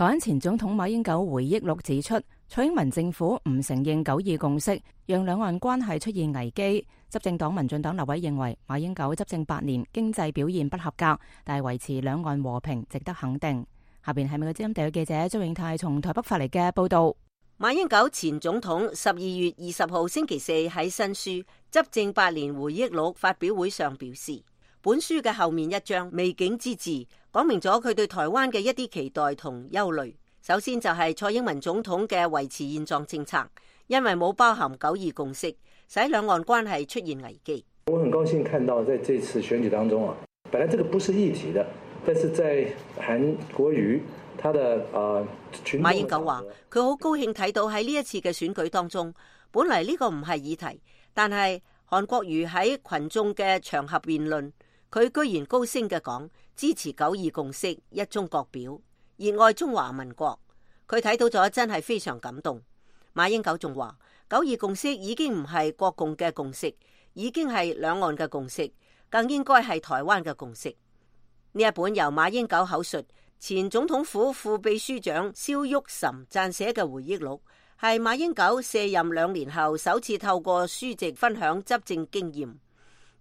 台灣前總統馬英九回憶錄指出，蔡英文政府唔承認九二共識，讓兩岸關係出現危機。執政黨民進黨立委認為，馬英九執政8年，經濟表現不合格，但係維持兩岸和平值得肯定。下邊係美國之音特約記者張永泰從台北發嚟嘅報道。馬英九前總統12月20號星期四喺新書《執政8年回憶錄》發表會上表示，本書嘅後面一章未竟之志，講明咗佢對台灣嘅一啲期待同憂慮。首先就係蔡英文總統嘅維持現狀政策，因為冇包含九二共識，使兩岸關係出現危機。我很高興看到在這次選舉當中本來這個不是議題的，但是在韓國瑜他的馬英九話佢好高興睇到喺呢一次嘅選舉當中，本嚟呢個唔係議題，但係韓國瑜喺群眾嘅場合辯論，佢居然高聲嘅講支持九二共識、一中各表，熱愛中華民國。佢睇到咗真係非常感動。馬英九仲話九二共識已經唔係國共嘅共識，已經係兩岸嘅共識，更應該係台灣嘅共識。呢一本由馬英九口述，前總統府副秘書長蕭旭岑撰寫嘅回憶錄，係馬英九卸任2年後首次透過書籍分享執政經驗，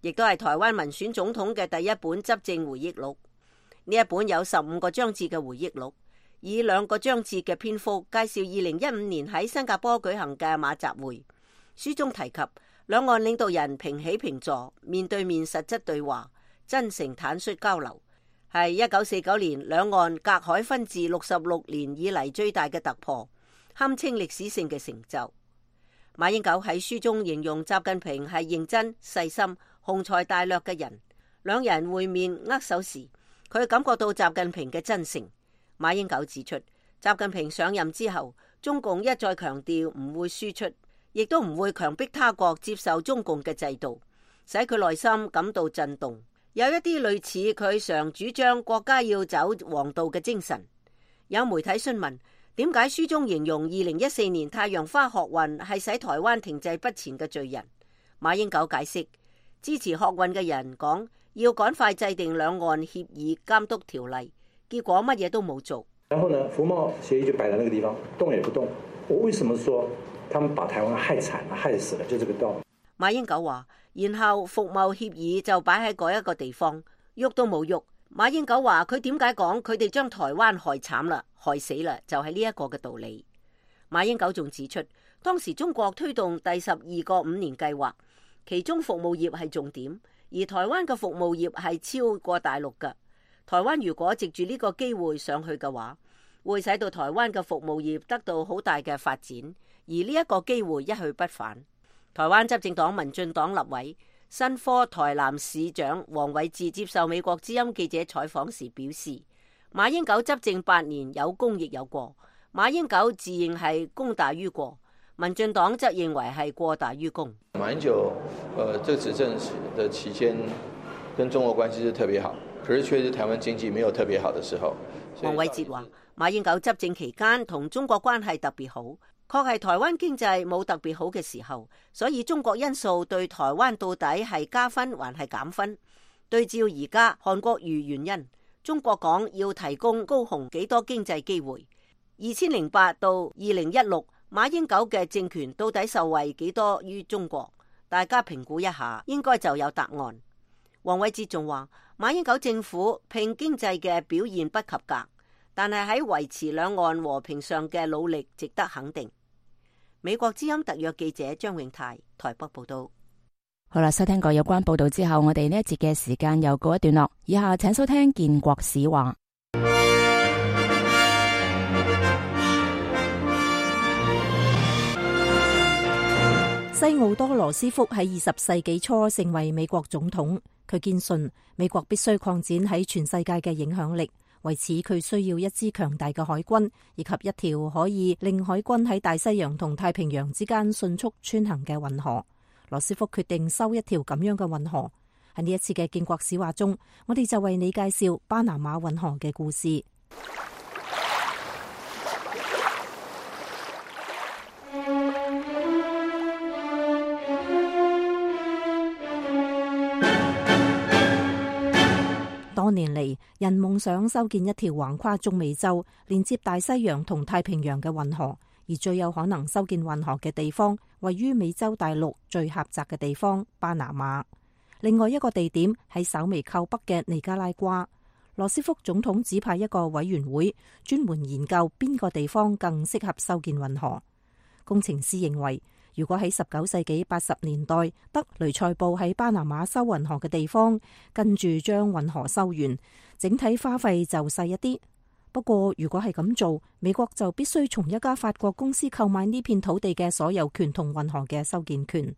亦都係台灣民選總統嘅第一本執政回憶錄。呢一本有15個章節嘅回憶錄，以2個章節嘅篇幅介紹2015年喺新加坡舉行嘅馬習會。書中提及兩岸領導人平起平坐，面對面實質對話，真誠坦率交流，係1949年兩岸隔海分治66年以嚟最大嘅突破，堪稱歷史性嘅成就。馬英九喺書中形容習近平係認真細心、雄才大略嘅人。兩人會面握手時，佢感覺到習近平嘅真誠。馬英九指出，習近平上任之後，中共一再強調唔會輸出，亦都唔會強迫他國接受中共嘅制度，使佢內心感到震動。有一啲類似佢常主張國家要走黃道嘅精神。有媒體詢問，點解書中形容2014年太陽花學運係使台灣停滯不前嘅罪人？馬英九解釋，支持學運嘅人講要趕快制定兩岸協議監督條例，結果乜嘢都冇做。然後呢，服貿協議就擺在那個地方，動也不動。我為什麼說他們把台灣害慘了、害死了？就這個道理。馬英九話，然後服貿協議就擺喺嗰一個地方，喐都冇喐。馬英九話佢點解講佢哋將台灣害慘啦、害死啦，就係呢一個嘅道理。馬英九仲指出，當時中國推動第12個5年計劃，其中服務業係重點，而台灣嘅服務業係超過大陸嘅。台灣如果藉住呢個機會上去嘅話，會使到台灣嘅服務業得到好大嘅發展，而呢一個機會一去不返。台灣執政黨民進黨立委新科台南市長黃偉哲接受美國之音記者採訪時表示，馬英九執政8年有功亦有過，馬英九自認係功大於過，民進黨則認為係過大於功。馬英九這個執政的期間跟中國關係是特別好，可是確實台灣經濟沒有特別好的時候。黃偉哲話，馬英九執政期間同中國關係特別好，確係台灣經濟冇特別好嘅時候，所以中國因素對台灣到底係加分還係減分？對照而家韓國瑜原因，中國講要提供高雄幾多經濟機會，2008到2016馬英九嘅政權到底受惠幾多於中國？大家評估一下，應該就有答案。黃偉哲仲話，馬英九政府拼經濟嘅表現不及格，但係喺維持兩岸和平上嘅努力值得肯定。美國之音特約記者張永泰台北報道。好啦，收聽過有關報道之後，我哋呢一節嘅時間又告一段落。以下請收聽建國史話。西奧多羅斯福喺20世紀初成為美國總統，佢堅信美國必須擴展喺全世界嘅影響力，為此佢需要一支強大嘅海軍，以及一條可以令海軍喺大西洋同太平洋之間迅速穿行嘅運河。羅斯福決定修一條咁樣嘅運河。喺呢一次嘅建國史話中，我哋就為你介紹巴拿馬運河嘅故事。多年嚟，人夢想修建一條橫跨中美洲、連接大西洋同太平洋嘅運河，而最有可能修建運河嘅地方，位於美洲大陸最狹窄嘅地方巴拿馬。另外一個地點喺稍微靠北嘅尼加拉瓜。羅斯福總統指派一個委員會專門研究邊個地方更適合修建運河。工程師認為，如果喺19世紀80年代德雷塞布喺巴拿馬修運河嘅地方，跟住將運河修完，整體花費就細一啲。不過如果係咁做，美國就必須從一家法國公司購買呢片土地嘅所有權同運河嘅修建權。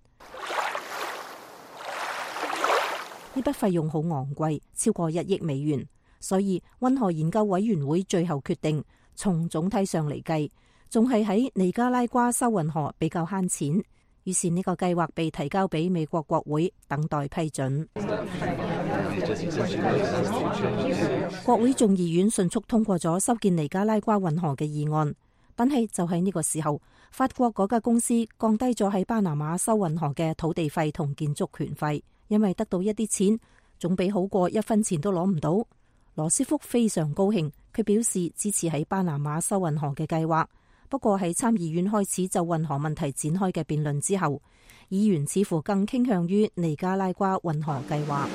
呢筆費用好昂貴，超過1億美元，所以運河研究委員會最後決定，從總體上嚟計，仲係喺尼加拉瓜修運河比較慳錢。於是呢個計劃被提交俾美國國會等待批准。國會眾議院迅速通過咗修建尼加拉瓜運河嘅議案，但係就喺呢個時候，法國嗰家公司降低咗喺巴拿馬修運河嘅土地費同建築權費，因為得到一啲錢，總比好過1分錢都攞唔到。羅斯福非常高興，佢表示支持喺巴拿馬修運河嘅計劃。不過喺參議院開始就運河問題展開嘅辯論之後，議員似乎更傾向於尼加拉瓜運河計劃。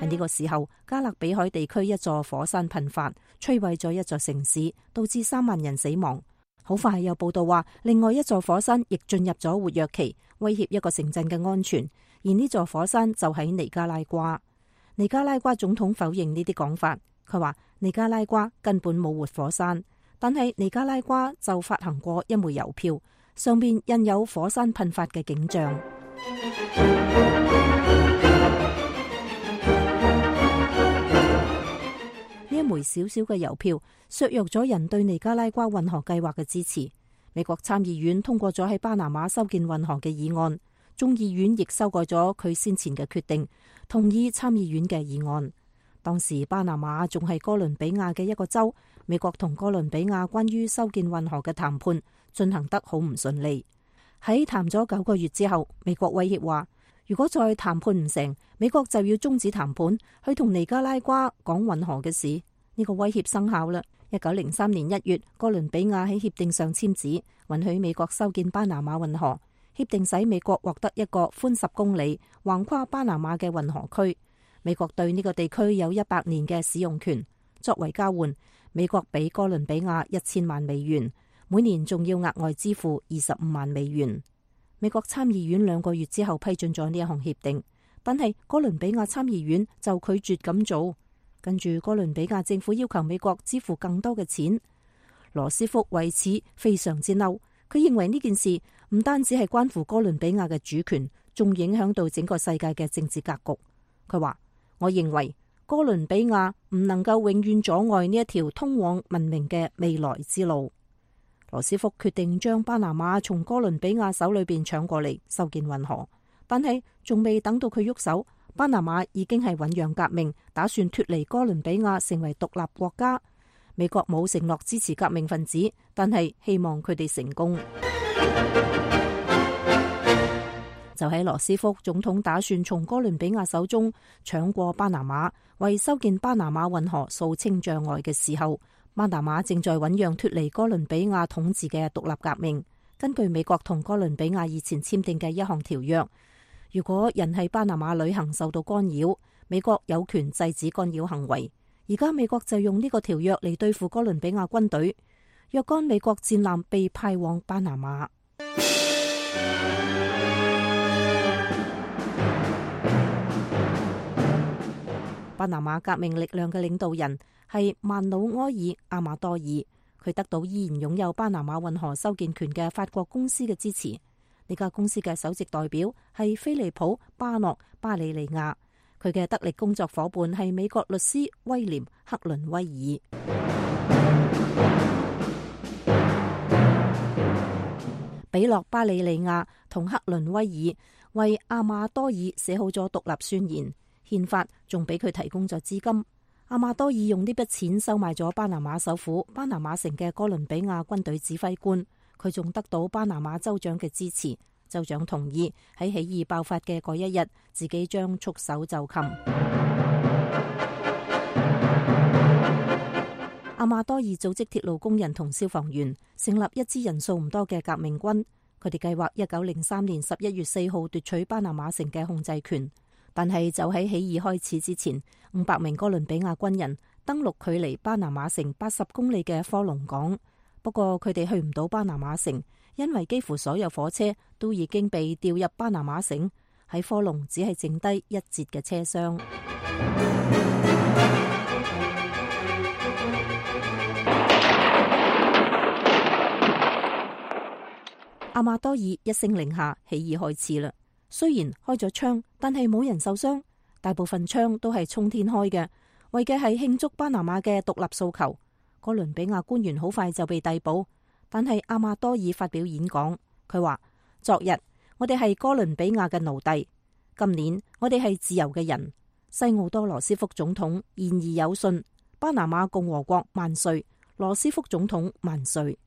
喺呢個時候，加勒比海地區一座火山噴發，摧毀咗一座城市，導致3萬人死亡。好快有報道話，另外一座火山亦進入咗活躍期，威脅一個城鎮嘅安全。而呢座火山就喺尼加拉瓜。尼加拉瓜總統否認呢啲講法，佢話尼加拉瓜根本冇活火山，但係尼加拉瓜就發行過一枚郵票，上面印有火山噴發嘅景象。呢一枚小小嘅郵票削弱咗人對尼加拉瓜運河計劃嘅支持。美國參議院通過咗喺巴拿馬修建運河嘅議案，眾議院亦修改咗佢先前嘅決定，同意參議院嘅議案。當時巴拿馬仲係哥倫比亞嘅一個州，美國同哥倫比亞關於修建運河嘅談判進行得好唔順利。喺談咗9個月之後，美國威脅話，如果再談判唔成，美國就要終止談判，去同尼加拉瓜講運河嘅事。呢個威脅生效啦。1903年1月，哥倫比亞喺協定上簽字，允許美國修建巴拿馬運河。協定使美國獲得一個寬10公里、橫跨巴拿馬嘅運河區。美國對呢個地區有100年嘅使用權。作為交換，美國俾哥倫比亞1000萬美元，每年仲要額外支付25萬美元。美國參議院2個月之後批准咗呢一項協定，但係哥倫比亞參議院就拒絕咁做。跟住哥倫比亞政府要求美國支付更多嘅錢。羅斯福為此非常之嬲，佢認為呢件事唔單止係關乎哥倫比亞嘅主權，仲影響到整個世界嘅政治格局。佢話，我認為哥倫比亞唔能夠永遠阻礙呢一條通往文明嘅未來之路。羅斯福決定將巴拿馬從哥倫比亞手裏邊搶過嚟修建運河，但係仲未等到佢喐手，巴拿馬已經係醞釀革命，打算脫離哥倫比亞成為獨立國家。美國冇承諾支持革命分子，但係希望佢哋成功。就喺羅斯福總統打算從哥倫比亞手中搶過巴拿馬，為修建巴拿馬運河掃清障礙嘅時候，巴拿馬正在醞釀脫離哥倫比亞統治嘅獨立革命。根據美國同哥倫比亞以前簽訂嘅一項條約，如果人喺巴拿馬旅行受到干擾，美國有權制止干擾行為。而家美國就用呢個條約嚟對付哥倫比亞軍隊。若干美國戰艦被派往巴拿馬。巴拿馬革命力量嘅領導人係曼努埃爾·阿馬多爾，佢得到依然擁有巴拿馬運河修建權嘅法國公司嘅支持。呢家公司嘅首席代表係菲利普·巴諾·巴里利亞，佢嘅得力工作伙伴係美國律師威廉·克倫威爾。比諾·巴里利亞同克倫威爾為阿馬多爾寫好咗獨立宣言，憲法仲俾佢提供咗資金。阿馬多爾用呢筆錢收買咗巴拿馬首府巴拿馬城嘅哥倫比亞軍隊指揮官，佢仲得到巴拿馬州長嘅支持，州長同意喺起義爆發嘅嗰一日，自己將束手就擒。阿馬多爾組織鐵路工人同消防員，成立一支人數唔多嘅革命軍。佢哋計劃1903年11月4號奪取巴拿馬城嘅控制權，但係就喺起義開始之前，500名哥倫比亞軍人登陸距離巴拿馬城80公里嘅科隆港。不過佢哋去唔到巴拿馬城，因為幾乎所有火車都已經被調入巴拿馬城，喺科隆只係剩低一節嘅車廂。阿馬多爾一聲令下，起義開始啦。雖然開咗槍，但係冇人受傷，大部分槍都係衝天開嘅，為嘅係慶祝巴拿馬嘅獨立訴求。哥倫比亞官員好快就被逮捕，但係阿馬多爾發表演講，佢話：昨日我哋係哥倫比亞嘅奴隸，今年我哋係自由嘅人。西奧多羅斯福總統言而有信，巴拿馬共和國萬歲，羅斯福總統萬歲。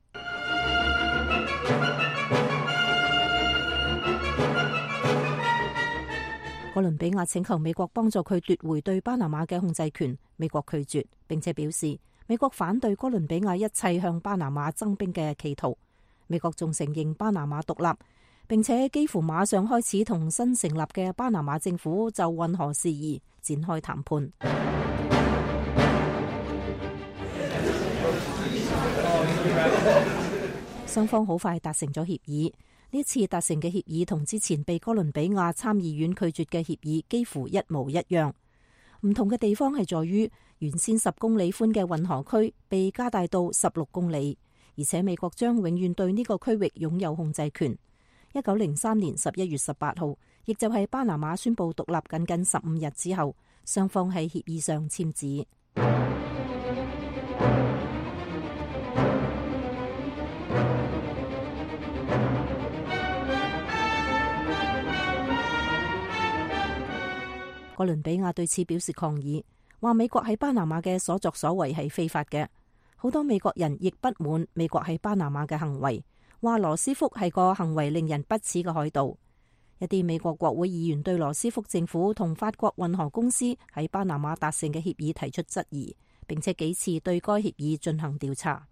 哥倫比亞請求美國幫助佢奪回對巴拿馬嘅控制權，美國拒絕，並且表示美國反對哥倫比亞一切向巴拿馬增兵嘅企圖。美國仲承認巴拿馬獨立，並且幾乎馬上開始同新成立嘅巴拿馬政府就運河事宜展開談判。雙方好快達成咗協議。呢次達成嘅協議同之前被哥倫比亞參議院拒絕嘅協議幾乎一模一樣，唔同嘅地方係在於原先10公里寬嘅運河區被加大到16公里，而且美國將永遠對呢個區域擁有控制權。1903年11月18號，亦就係巴拿馬宣布獨立僅僅15日之後，雙方喺協議上簽字。哥倫比亞對此表示抗議，話美國喺巴拿馬嘅所作所為係非法嘅。好多美國人亦不滿美國喺巴拿馬嘅行為，話羅斯福係個行為令人不齒嘅海盜。一啲美國國會議員對羅斯福政府同法國運河公司喺巴拿馬達成嘅協議提出質疑，並且幾次對該協議進行調查。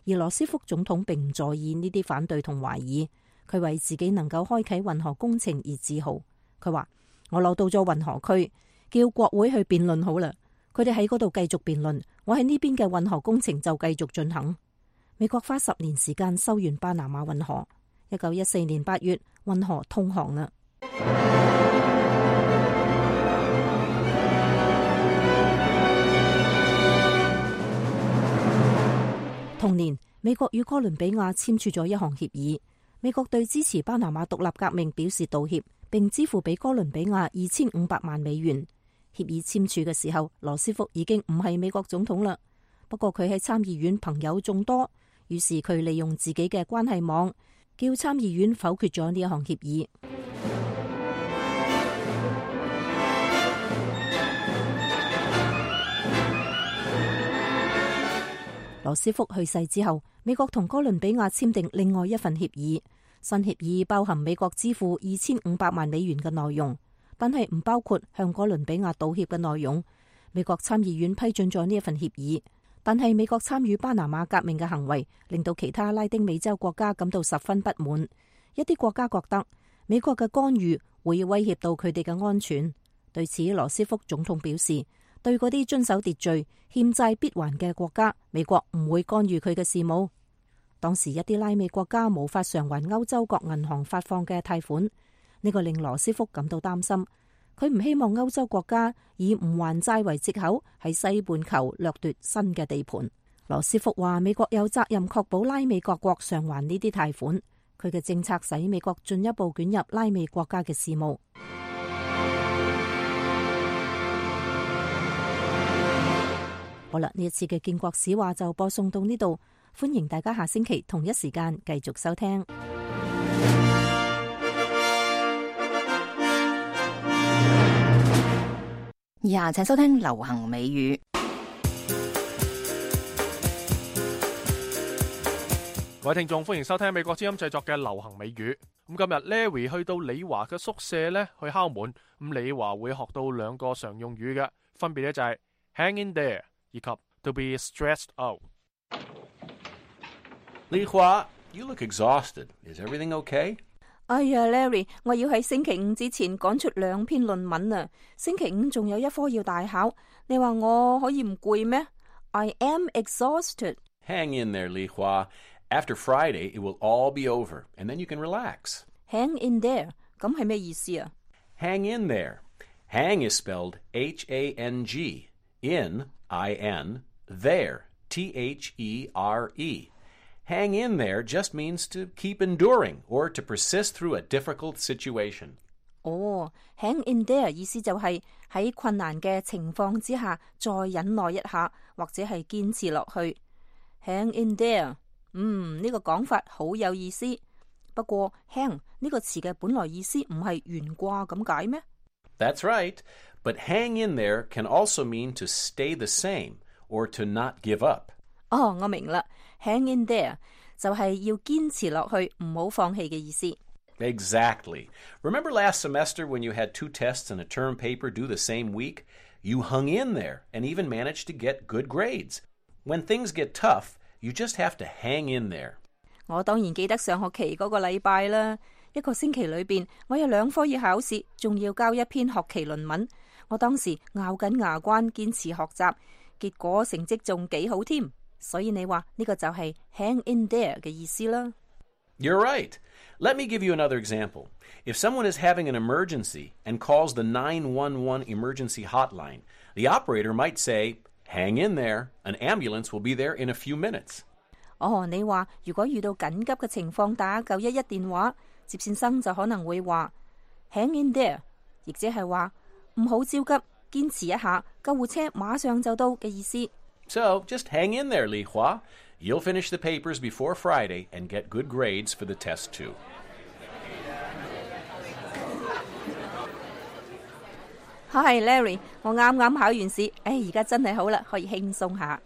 而羅斯福總統並唔在意呢啲反對同懷疑，佢為自己能夠開啟運河工程而自豪。佢話：我攞到咗運河區，叫國會去辯論好啦。佢哋喺嗰度繼續辯論，我喺呢邊嘅運河工程就繼續進行。美國花10年時間修完巴拿馬運河。1914年8月，運河通航啦。同年，美國與哥倫比亞簽署咗一項協議。美國對支持巴拿馬獨立革命表示道歉，並支付俾哥倫比亞2500萬美元。協議簽署嘅時候，羅斯福已經唔係美國總統啦。不過佢喺參議院朋友眾多，於是佢利用自己嘅關係網，叫參議院否決咗呢一項協議。羅斯福去世之後，美國同哥倫比亞簽訂另外一份協議。新協議包含美國支付2500萬美元嘅內容，但係唔包括向哥倫比亞道歉嘅內容。美國參議院批准咗呢一份協議，但係美國參與巴拿馬革命嘅行為令到其他拉丁美洲國家感到十分不滿。一啲國家覺得美國嘅干預會威脅到佢哋嘅安全。對此，羅斯福總統表示，對嗰啲遵守秩序、欠債必還嘅國家，美國唔會干預佢嘅事務。當時一啲拉美國家無法償還歐洲各銀行發放嘅貸款，呢個令羅斯福感到擔心。佢唔希望歐洲國家以唔還債為藉口喺西半球掠奪新嘅地盤。羅斯福話美國有責任確保拉美各國償還呢啲貸款。佢嘅政策使美國進一步捲入拉美國家嘅事務。好啦，呢一次嘅建國史話就播送到呢度，歡迎大家下星期同一時間繼續收聽。以下請收聽流行美語。各位聽眾，歡迎收聽美國之音製作嘅流行美語。咁今日 Larry 去到李華嘅宿舍咧，去敲門。咁李華會學到兩個常用語嘅，分別咧就係 hang in there 以及 to be stressed out。李華 ，you look exhausted. Is everything okay? 哎呀 ，Larry， 我要喺星期五之前趕出2篇論文啊！星期五仲有一科要大考，你話我可以唔攰咩 ？I am exhausted. Hang in there, Li Hua.After Friday, it will all be over, and then you can relax. Hang in there, 咁係咩意思啊？ Hang in there. Hang is spelled H-A-N-G. In, I-N. There, T-H-E-R-E. Hang in there just means to keep enduring or to persist through a difficult situation. 哦 ，hang in there 意思就係喺困難嘅情況之下再忍耐一下，或者係堅持落去。Hang in there。呢個講法好有意思。不過 hang 呢個詞嘅本來意思唔係懸掛咁解咩？ That's right. But hang in there can also mean to stay the same or to not give up. 哦，我明啦。Hang in there 就係要堅持落去，唔好放棄嘅意思。Exactly. Remember last semester when you had 2 tests and a term paper due the same week? You hung in there and even managed to get good grades. When things get tough,You just have to hang in there. 我當然記得上學期嗰個禮拜啦，一個星期裏邊，我有2科要考試，仲要交一篇學期論文。我當時咬緊牙關堅持學習，結果成績仲幾好添。所以你話呢個就係 hang in there 嘅意思啦。You're right. Let me give you another example. If someone is having an emergency and calls the 911 emergency hotline, the operator might say,Hang in there. An ambulance will be there in a few minutes. 哦，你話如果遇到緊急嘅情況打911電話，接線生就可能會話 hang in there， 亦即係話唔好焦急，堅持一下，救護車馬上就到嘅意思。So just hang in there, Li Hua. You'll finish the papers before Friday and get good grades for the test too. Hi Larry， 我啱啱考完試，而家真係好啦，可以輕鬆下。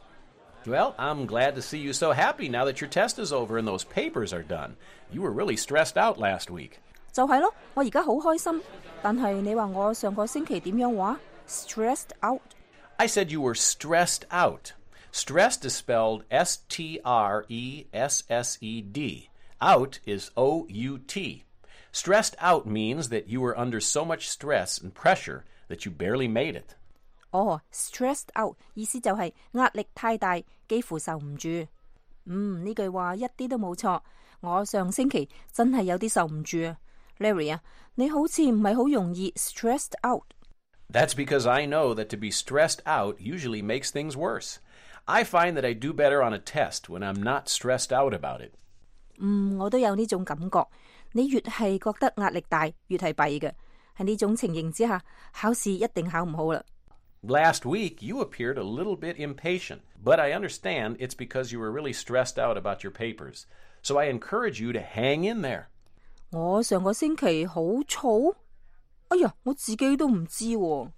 Well, I'm glad to see you so happy now that your test is over and those papers are done. You were really stressed out last week. 就係咯，我而家好開心。但係你話我上個星期點樣話 ？Stressed out. I said you were stressed out. Stressed is spelled S-T-R-E-S-S-E-D. Out is O-U-T. Stressed out means that you were under so much stress and pressure.That you barely made it. 哦 stressed out 意思就係壓力太大，幾乎受唔住。呢句話一啲都冇錯。我上星期真係有啲受唔住啊 ，Larry 啊，你好似唔係好容易 stressed out。That's because I know that to be stressed out usually makes things worse. I find that I do better on a test when I'm not stressed out about it. 我都有呢種感覺。你越係覺得壓力大，越係弊嘅。喺呢種情形之下，考試一定考唔好啦。Last week, you appeared a little bit impatient, but I understand it's because you were really stressed out about your papers. So I encourage you to hang in there. 我上個星期好燥？哎呀，我自己都唔知喎。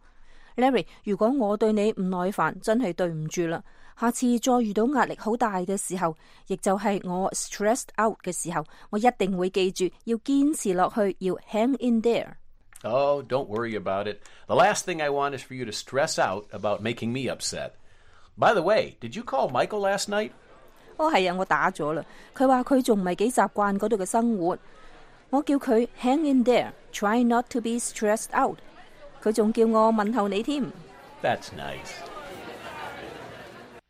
Larry， 如果我對你唔耐煩，真係對唔住啦。下次再遇到壓力好大嘅時候，亦就係我 stressed out 嘅時候，我一定會記住要堅持落去，要 hang in there。Oh, don't worry about it. The last thing I want is for you to stress out about making me upset. By the way, did you call Michael last night? 係啊，我打咗啦。佢話佢仲唔係幾習慣嗰度嘅生活。我叫佢 hang in there, try not to be stressed out. 佢仲叫我問候你添。That's nice.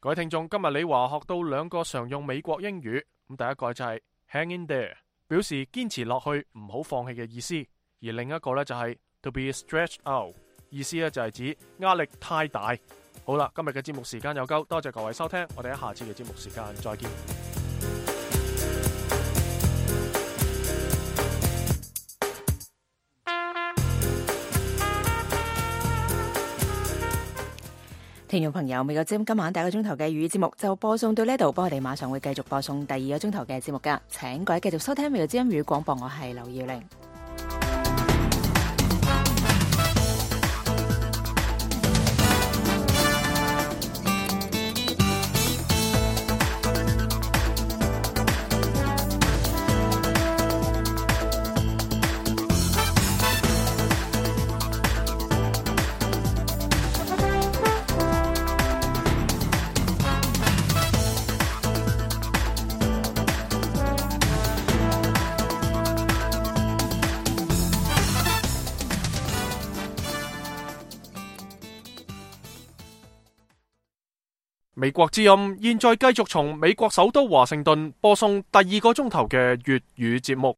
各位聽眾，今日李華學到2個常用美國英語。咁第一個就係 hang in there， 表示堅持落去，唔好放棄嘅意思。而另一個咧就係 to be stretched out， 意思咧就係指壓力太大。好啦，今日嘅節目時間又夠，多謝各位收聽，我哋喺下次嘅節目時間再見。聽眾朋友，美國之音今晚第1個鐘頭嘅粵語節目就播送到呢度，我哋馬上會繼續播送第2個鐘頭嘅節目噶，請各位繼續收聽美國之音粵語廣播，我係劉耀玲。美國之音現在繼續從美國首都華盛頓播送第2個鐘頭嘅粵語節目。